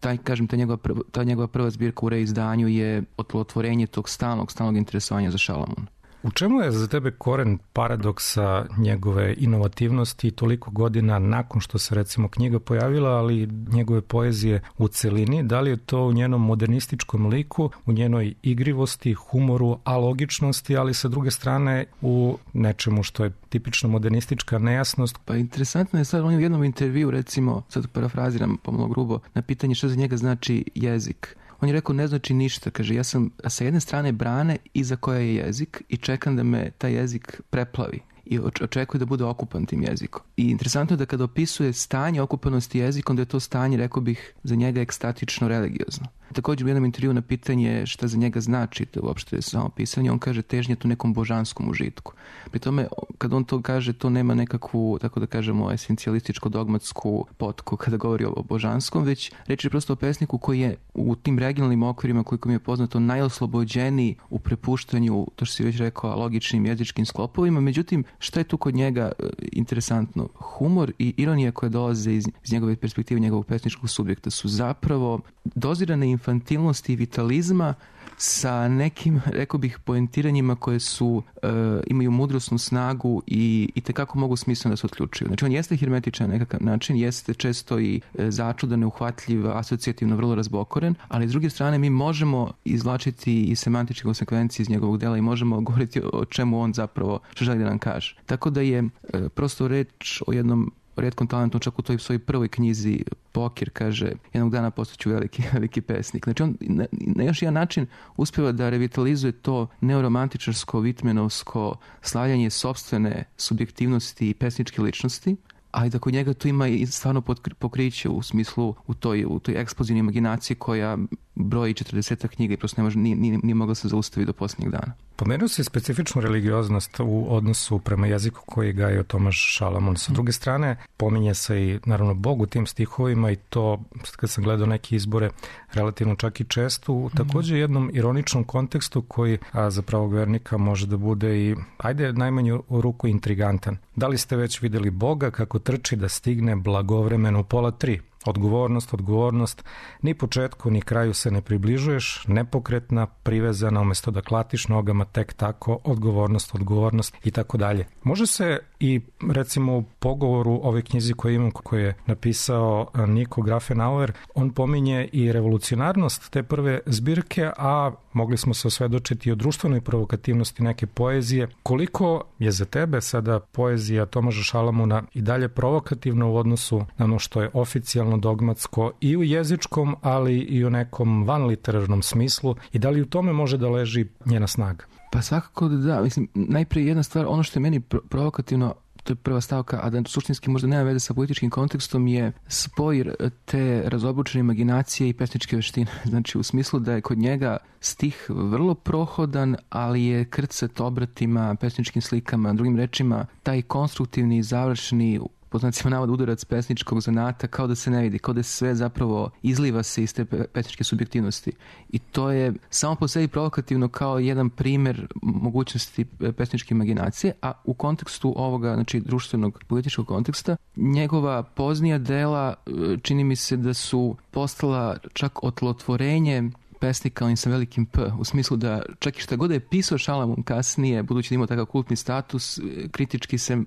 taj, kažem, ta njegova, prva, ta njegova prva zbirka u reizdanju je otlotvorenje tog stalnog, stalnog interesovanja za Šalamun. U čemu je za tebe koren paradoksa njegove inovativnosti toliko godina nakon što se recimo knjiga pojavila, ali njegove poezije u celini? Da li je to u njenom modernističkom liku, u njenoj igrivosti, humoru, alogičnosti, ali sa druge strane u nečemu što je tipično modernistička nejasnost? Pa interesantno je sad, on je u jednom intervju, recimo, sad parafraziram pomalo grubo, na pitanje što za njega znači jezik. On je rekao, ne znači ništa, kaže, ja sam sa jedne strane brane iza koja je jezik i čekam da me taj jezik preplavi i očekuje da bude okupan tim jezikom. I interesantno je da kada opisuje stanje okupanosti jezikom, da je to stanje, rekao bih, za njega ekstatično religiozno. Također u jednom intervju na pitanje šta za njega znači to uopšte samo pisanje, on kaže težnje tu nekom božanskom užitku. Pri tome, kad on to kaže, to nema nekakvu, tako da kažemo, esencijalističko-dogmatsku potku kada govori o božanskom, već reč je prosto o pesniku koji je u tim regionalnim okvirima, koliko mi je poznato, najoslobođeniji u prepuštanju, to što si već rekao, logičnim jezičkim sklopovima. Međutim, šta je tu kod njega interesantno? Humor i ironija koje dolaze iz, iz njegove perspektive, njegovog pesničkog subjekta su zapravo dozirane infantilnosti i vitalizma sa nekim, rekao bih, poentiranjima koje su, e, imaju mudrosnu snagu i, i tekako mogu smisleno da se otključuju. Znači, on jeste hermetičan na nekakav način, jeste često i e, začudan, neuhvatljiv, asocijativno vrlo razbokoren, ali s druge strane mi možemo izvlačiti i semantičke konsekvencije iz njegovog dela i možemo govoriti o čemu on zapravo što želi da nam kaže. Tako da je e, prosto reč o jednom rijetkom talentu, čak u toj svojoj prvoj knjizi Poker, kaže, jednog dana postaću veliki, veliki pesnik. Znači on na, na još jedan način uspeva da revitalizuje to neoromantičarsko, vitmenovsko slavljanje sopstvene subjektivnosti i pesničke ličnosti, a i da kod njega tu ima i stvarno pokriće u smislu u toj, u toj eksplozivnoj imaginaciji koja broji četrdeset knjiga i prosto ne može, nije, nije, nije mogla se zaustaviti do posljednjeg dana. Pomenuo se specifičnu religioznost u odnosu prema jeziku koji gaje Tomaš Šalamun. Sa druge strane, pominje se i naravno Bog u tim stihovima i to, kad sam gledao neke izbore, relativno čak i često, u također jednom ironičnom kontekstu koji a, za pravog vernika može da bude i, ajde, najmanju ruku intrigantan. Da li ste već vidjeli Boga kako trči da stigne blagovremeno u pola tri? Odgovornost, odgovornost, ni početku ni kraju se ne približuješ, nepokretna, privezana, umjesto da klatiš nogama tek tako, odgovornost, odgovornost i tako dalje. Može se i recimo u pogovoru ove knjizi koju imam, koju je napisao Niko Grafenauer, on pominje i revolucionarnost te prve zbirke, a mogli smo se osvedočiti o društvenoj provokativnosti neke poezije. Koliko je za tebe sada poezija Tomaša Šalamuna i dalje provokativna u odnosu na ono što je oficijalno dogmatsko i u jezičkom, ali i u nekom vanliterarnom smislu, i da li u tome može da leži njena snaga? Pa svakako da da. Mislim, najprije jedna stvar, ono što je meni provokativno, to je prva stavka, a da suštinski možda nema veze sa političkim kontekstom, je spoj te razobučene imaginacije i pesničke veštine. Znači, u smislu da je kod njega stih vrlo prohodan, ali je krcat obratima, pesničkim slikama, drugim rečima, taj konstruktivni i završni, po znacima navoda, udarac pesničkog zanata kao da se ne vidi, kao da sve zapravo izliva se iz te pesničke subjektivnosti. I to je samo po sebi provokativno kao jedan primjer mogućnosti pesničke imaginacije, a u kontekstu ovoga, znači društvenog političkog konteksta, njegova poznija dela čini mi se da su postala čak otlotvorenje pesnika, on sa velikim P, u smislu da čak i šta god je pisao Šalamun kasnije, budući da imao takav kultni status, kritički se uh,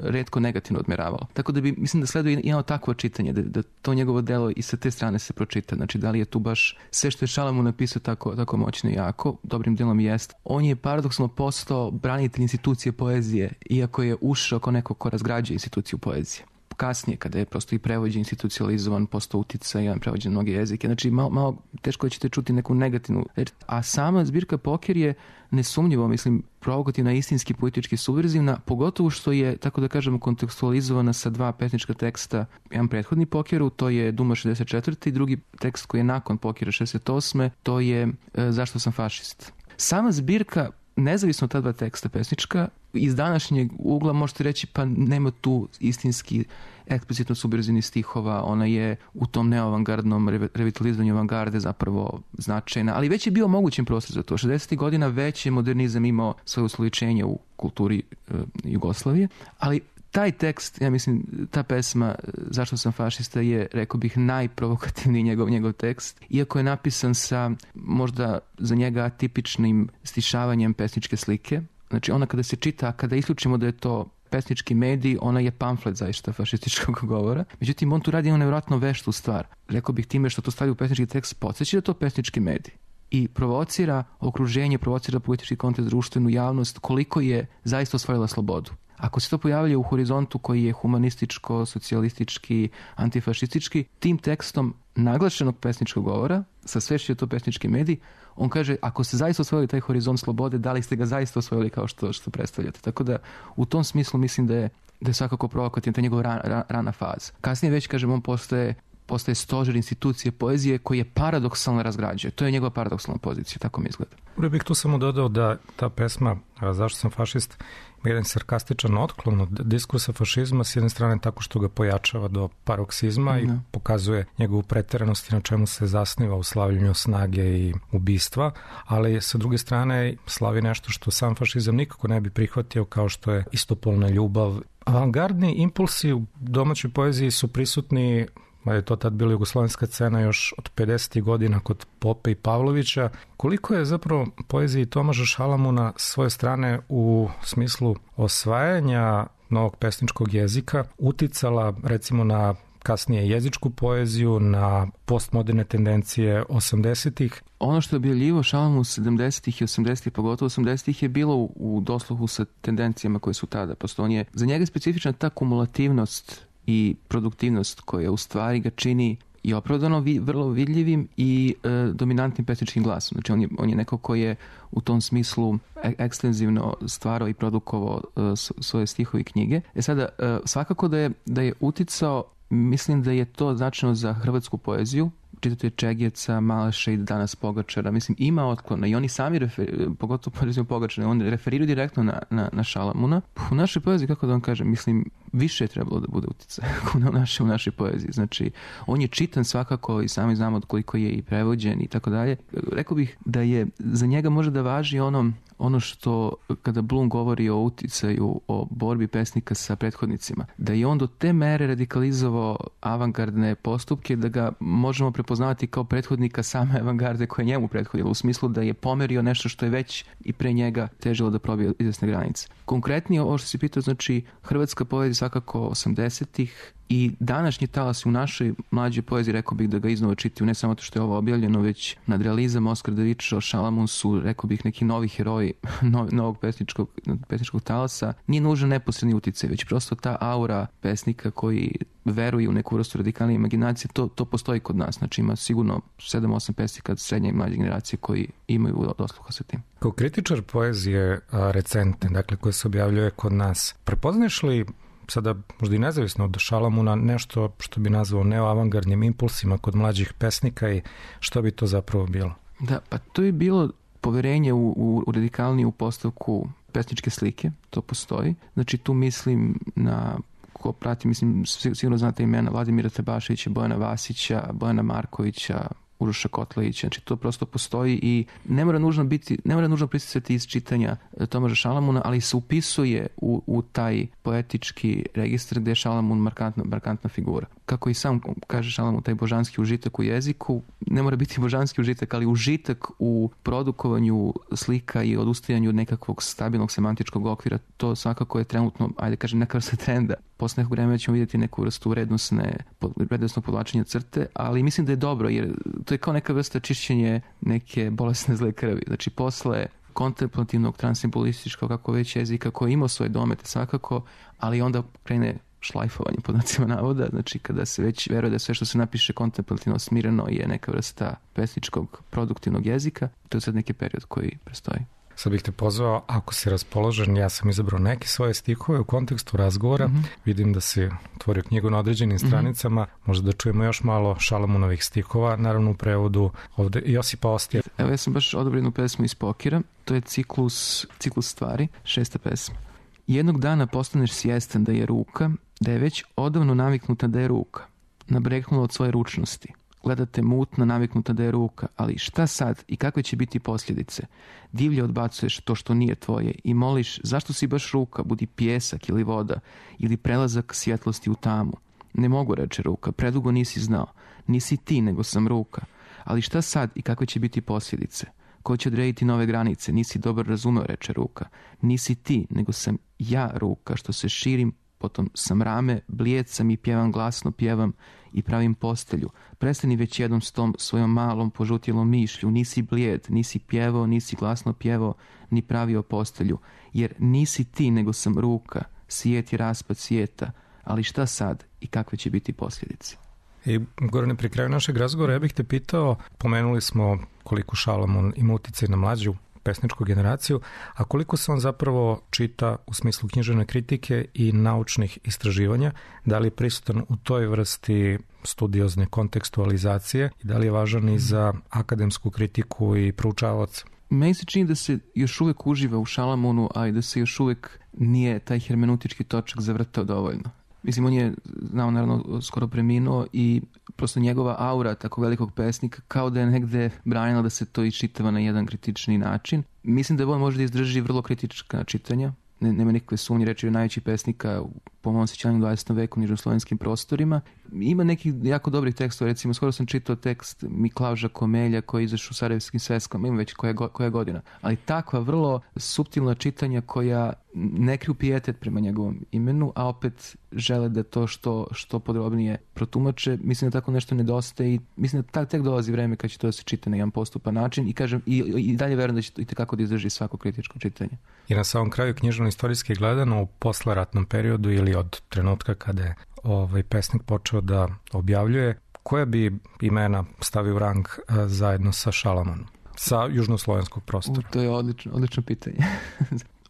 retko negativno odmeravalo. Tako da bi, mislim da sleduje jedno takvo čitanje, da, da to njegovo delo i sa te strane se pročita. Znači, da li je tu baš sve što je Šalamun napisao tako, tako moćno i jako, dobrim delom jest. On je paradoksalno postao branitelj institucije poezije, iako je ušao kao neko ko razgrađuje instituciju poezije. Kasnije, kada je prosto i prevođen, institucionalizovan, postao uticajan, prevođen mnoge jezike. Znači, malo, malo teško da ćete čuti neku negativnu reč. A sama zbirka Poker je nesumnjivo, mislim, provokativna, istinski, politički subverzivna, pogotovo što je, tako da kažemo, kontekstualizovana sa dva pesnička teksta. Jedan prethodni Pokeru, to je Duma šezdeset četvrte i drugi tekst koji je nakon Pokera šezdeset osme, to je e, Zašto sam fašist. Sama zbirka, nezavisno od ta dva teksta pesnička, iz današnjeg ugla možete reći pa nema tu istinski eksplicitno subverzivnih stihova, ona je u tom neoavangardnom revitalizovanju avangarde zapravo značajna, ali već je bio mogućen prostor za to. šezdesetih godina već je modernizam imao svoje usličenje u kulturi e, Jugoslavije, ali taj tekst, ja mislim, ta pesma Zašto sam fašista je, rekao bih, najprovokativniji njegov, njegov tekst, iako je napisan sa možda za njega atipičnim stišavanjem pesničke slike. Znači, ona kada se čita, kada isključimo da je to pesnički medij, ona je pamflet zaista fašističkog govora. Međutim, on tu radi jednu nevjerojatno veštu stvar. Rekao bih time što to stavlja u pesnički tekst, podsjeća da je to pesnički medij. I provocira okruženje, provocira politički kontekst, društvenu javnost, koliko je zaista osvojila slobodu. Ako se to pojavlja u horizontu koji je humanističko, socijalistički, antifašistički, tim tekstom naglašenog pesničkog govora, sa svešću je to pesnički medij, on kaže, ako ste zaista osvojili taj horizont slobode, da li ste ga zaista osvojili kao što, što predstavljate. Tako da, u tom smislu mislim da je, da je svakako provokativna ta njegova rana, rana, rana faza. Kasnije već, kažem, on postaje postaje stožer institucije poezije koji je paradoksalno razgrađuje. To je njegova paradoksalna pozicija, tako mi izgleda. Uvijek bih tu samo dodao da ta pesma Zašto sam fašist ima jedan sarkastičan otklon od diskursa fašizma, s jedne strane tako što ga pojačava do paroksizma i pokazuje njegovu preteranost na čemu se zasniva u slavljenju snage i ubistva, ali sa druge strane slavi nešto što sam fašizam nikako ne bi prihvatio, kao što je istopolna ljubav. Avangardni impulsi u domaćoj poeziji su prisutni, je to tad bila jugoslovenska scena još od pedesetih godina kod Pope i Pavlovića. Koliko je zapravo poeziji Tomaža Šalamuna s svoje strane u smislu osvajanja novog pesničkog jezika uticala recimo na kasnije jezičku poeziju, na postmoderne tendencije osamdesetih? Ono što je objavljivo Šalamun sedamdesetih i osamdesetih, pogotovo osamdesetih, je bilo u, u dosluhu sa tendencijama koje su tada postoje. Za njega je specifična ta kumulativnost i produktivnost koja u stvari ga čini i opravdano vi, vrlo vidljivim i e, dominantnim pesničkim glasom. Znači on je, on je neko ko je u tom smislu e, ekstenzivno stvarao i produkovao e, svoje stihove i knjige. E sada, e, svakako da je, da je uticao, mislim da je to značajno za hrvatsku poeziju, čitatelj Čegjeca, Malaša i danas Pogačara, mislim, ima otklona i oni sami, refer, pogotovo poeziju Pogačara, oni referiraju direktno na, na, na Šalamuna. U našoj poeziji, kako da vam kažem, mislim, više je trebalo da bude utjecaj u, naše, u našoj poeziji. Znači, on je čitan svakako i sami znamo od koliko je i prevođen i tako dalje. Rekao bih da je za njega može da važi ono, ono što kada Blum govori o uticaju, o borbi pesnika sa prethodnicima, da je on do te mere radikalizovao avangardne postupke da ga možemo prepoznavati kao prethodnika same avangarde koja je njemu prethodila, u smislu da je pomerio nešto što je već i pre njega težilo da probije izvesne granice. Konkretnije, ovo što si pitao, znači hrvatska poezija svakako osamdesetih i današnji talas u našoj mlađoj poeziji, rekao bih da ga iznova čitaju, ne samo to što je ovo objavljeno, već nadrealizam, Oskar Davičo, Šalamun su, rekao bih, neki novi heroji novog pesničkog, pesničkog talasa. Nije nužno neposredni uticaj, već prosto ta aura pesnika koji veruju u neku vrstu radikalne imaginacije, to, to postoji kod nas. Znači ima sigurno sedam osam pesnika srednje i mlađe generacije koji imaju dosluha sa tim. Kao kritičar poezije recentne, dakle koje se objavljuje kod nas, prepoznaš li sada možda i nezavisno od Šalamuna nešto što bi nazvao neoavangardnim impulsima kod mlađih pesnika i što bi to zapravo bilo? Da, pa to je bilo poverenje u, u, u radikalniju postavku pesničke slike, to postoji. Znači tu mislim na, ko prati, mislim sigurno znate imena Vladimira Tabaševića, Bojana Vasića, Bojana Markovića, Uroša Kotlevića. Znači to prosto postoji i ne mora nužno biti, ne mora nužno pristicati iz čitanja Tomaža Šalamuna, ali se upisuje u, u taj poetički registar gde je Šalamun markantna, markantna figura. Kako i sam kaže Šalamun, taj božanski užitak u jeziku, ne mora biti božanski užitak, ali užitak u produkovanju slika i odustajanju od nekakvog stabilnog semantičkog okvira, to svakako je trenutno, ajde kažem, neka vrsta trenda. Posle nekog vremena ćemo vidjeti neku vrstu vrednostne, vrednostnog podlačenja crte, ali mislim da je dobro, jer to je kao neka vrsta čišćenje neke bolesne zle krvi. Znači, posle kontemplativnog, transsimbolističkog, kako već jezika, koji ima svoje domete svakako, ali onda krene šlajfovanje pod znacima navoda, znači kada se već veruje da sve što se napiše kontemplativno smireno je neka vrsta pesničkog produktivnog jezika, to je sad neki period koji prestoji. Sad bih te pozvao, ako si raspoložen, ja sam izabrao neke svoje stihove u kontekstu razgovora, mm-hmm. vidim da si otvorio knjigu na određenim stranicama, mm-hmm. možda da čujemo još malo Šalamunovih stihova, naravno u prevodu ovde Josipa Ostija. Evo, ja sam baš odabrao jednu pesmu iz Pokira, to je ciklus, ciklus stvari, šesta pesma. Jednog dana postaneš svjestan da je ruka, da je već odavno naviknuta da je ruka, nabreknula od svoje ručnosti. Gledate mutno, naviknuta da je ruka, ali šta sad i kakve će biti posljedice? Divlje odbacuješ to što nije tvoje i moliš zašto si baš ruka, budi pjesak ili voda ili prelazak svjetlosti u tamu. Ne mogu, reče ruka, predugo nisi znao. Nisi ti, nego sam ruka. Ali šta sad i kakve će biti posljedice? Ko će odrediti nove granice? Nisi dobro razumeo, reče ruka. Nisi ti, nego sam ja ruka, što se širim, potom sam rame, blijed sam i pjevam glasno, pjevam i pravim postelju. Prestani već jednom s tom svojom malom požutjelom mišlju. Nisi blijed, nisi pjevao, nisi glasno pjevao, ni pravio postelju. Jer nisi ti, nego sam ruka. Svijet je raspad svijeta. Ali šta sad i kakve će biti posljedice? I Gorane, pri kraju našeg razgovora ja bih te pitao, pomenuli smo koliko Šalamun ima uticaj na mlađu pesničku generaciju, a koliko se on zapravo čita u smislu književne kritike i naučnih istraživanja, da li je prisutan u toj vrsti studiozne kontekstualizacije i da li je važan i za akademsku kritiku i proučavaoca? Meni se čini da se još uvijek uživa u Šalamunu, a i da se još uvijek nije taj hermeneutički točak zavrtao dovoljno. Mislim, on je, znao, naravno, skoro preminuo i prosto njegova aura tako velikog pesnika kao da je negde branila da se to iščitava na jedan kritični način. Mislim da on može da izdrži vrlo kritička čitanja. Ne, nema nikakve sumnje, reći je najveći pesnika po mojom sjećanju u dvadesetom veku u nižnoslovenskim prostorima. Ima nekih jako dobrih tekstova, recimo skoro sam čitao tekst Miklauža Komelja koji je izašao u Sarajevskim sveskama, ima već koja, koja godina. Ali takva vrlo suptilna čitanja koja ne kriju pijetet prema njegovom imenu, a opet žele da to što, što podrobnije protumače. Mislim da tako nešto nedostaje i mislim da tak, tek dolazi vreme kad će to da se čita na jedan postupan način i kažem i, i dalje verujem da će to i tekako da izdrži svako kritičko čitanje. I na samom kraju književno-istorijski gledano u posleratnom periodu ili od trenutka kada je ovaj pesnik počeo da objavljuje, koja bi imena stavio u rang a, zajedno sa Šalamunom, sa južnoslovenskog prostora? U, to je odlično, odlično pitanje.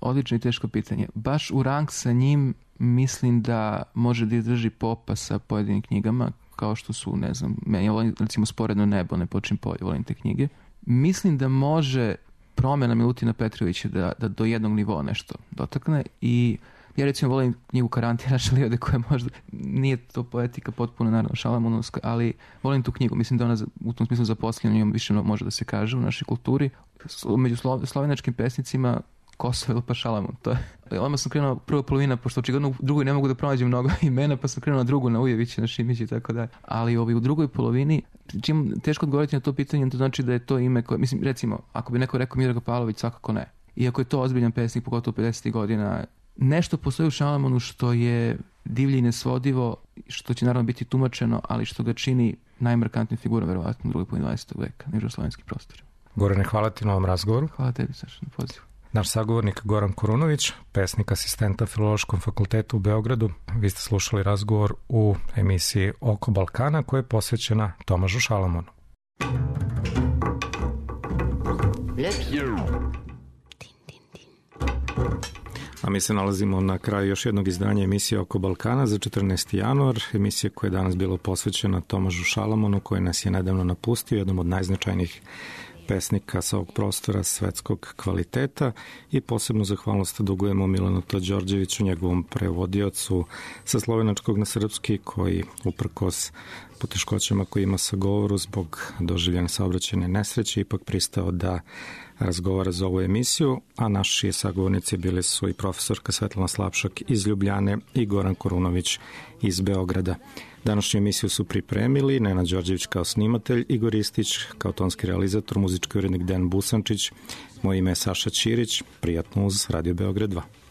Odlično i teško pitanje. Baš u rang sa njim mislim da može da izdrži Popa sa pojedinim knjigama, kao što su, ne znam, meni ja volim recimo Sporedno nebo, Ne počin polje, volim te knjige. Mislim da može promjena Milutina Petrovića da, da do jednog nivoa nešto dotakne i ja recimo volim knjigu Karantira Šalijode koja možda nije to poetika potpuno naravno šalamunovska, ali volim tu knjigu. Mislim da ona u tom smislu zaposlena njom više može da se kaže u našoj kulturi. Među slo, slovenačkim pesnicima Kosovo pa Šalamun. To je. Odmah sam krenuo prva polovina, pošto očigledno u drugoj ne mogu da pronađem mnogo imena, pa sam krenuo na drugu, na Ujevića, na Šimića i tako dalje. Ali ovi, u drugoj polovini, čim teško odgovoriti na to pitanje, to znači da je to ime koje, mislim, recimo, ako bi neko rekao Miodrag Pavlović, svakako ne. Iako je to ozbiljan pesnik, pogotovo pedesetih godina, nešto postoji u Šalamunu što je divlje i nesvodivo, što će naravno biti tumačeno, ali što ga čini najmarkantnijim figurom, verovatno, u drugoj polovini dvadesetog veka, na južnoslovenskim prostorima. Gorane, hvala ti na ovom razgovoru. Hvala tebi, Saša, na pozivu. Naš sagovornik Goran Kurunović, pesnik, asistenta Filološkom fakultetu u Beogradu. Vi ste slušali razgovor u emisiji Oko Balkana koja je posvećena Tomažu Šalamunu. A mi se nalazimo na kraju još jednog izdanja emisije Oko Balkana za četrnaesti januar, emisija koja je danas bila posvećena Tomažu Šalamunu, koji nas je nedavno napustio, jednom od najznačajnijih pesnika sa ovog prostora svetskog kvaliteta i posebno zahvalnost dugujemo Milanu Todžorđeviću, njegovom prevodiocu sa slovenačkog na srpski, koji uprkos poteškoćama koje ima sa govoru zbog doživljene saobraćajne nesreće ipak pristao da razgovara za ovu emisiju, a naši sagovornici bili su i profesorka Svetlana Slapšak iz Ljubljane i Goran Korunović iz Beograda. Današnju emisiju su pripremili Nenad Đorđević kao snimatelj, Igor Istić kao tonski realizator, muzički urednik Dejan Busančić. Moje ime je Saša Ćirić. Prijatno uz Radio Beograd dva.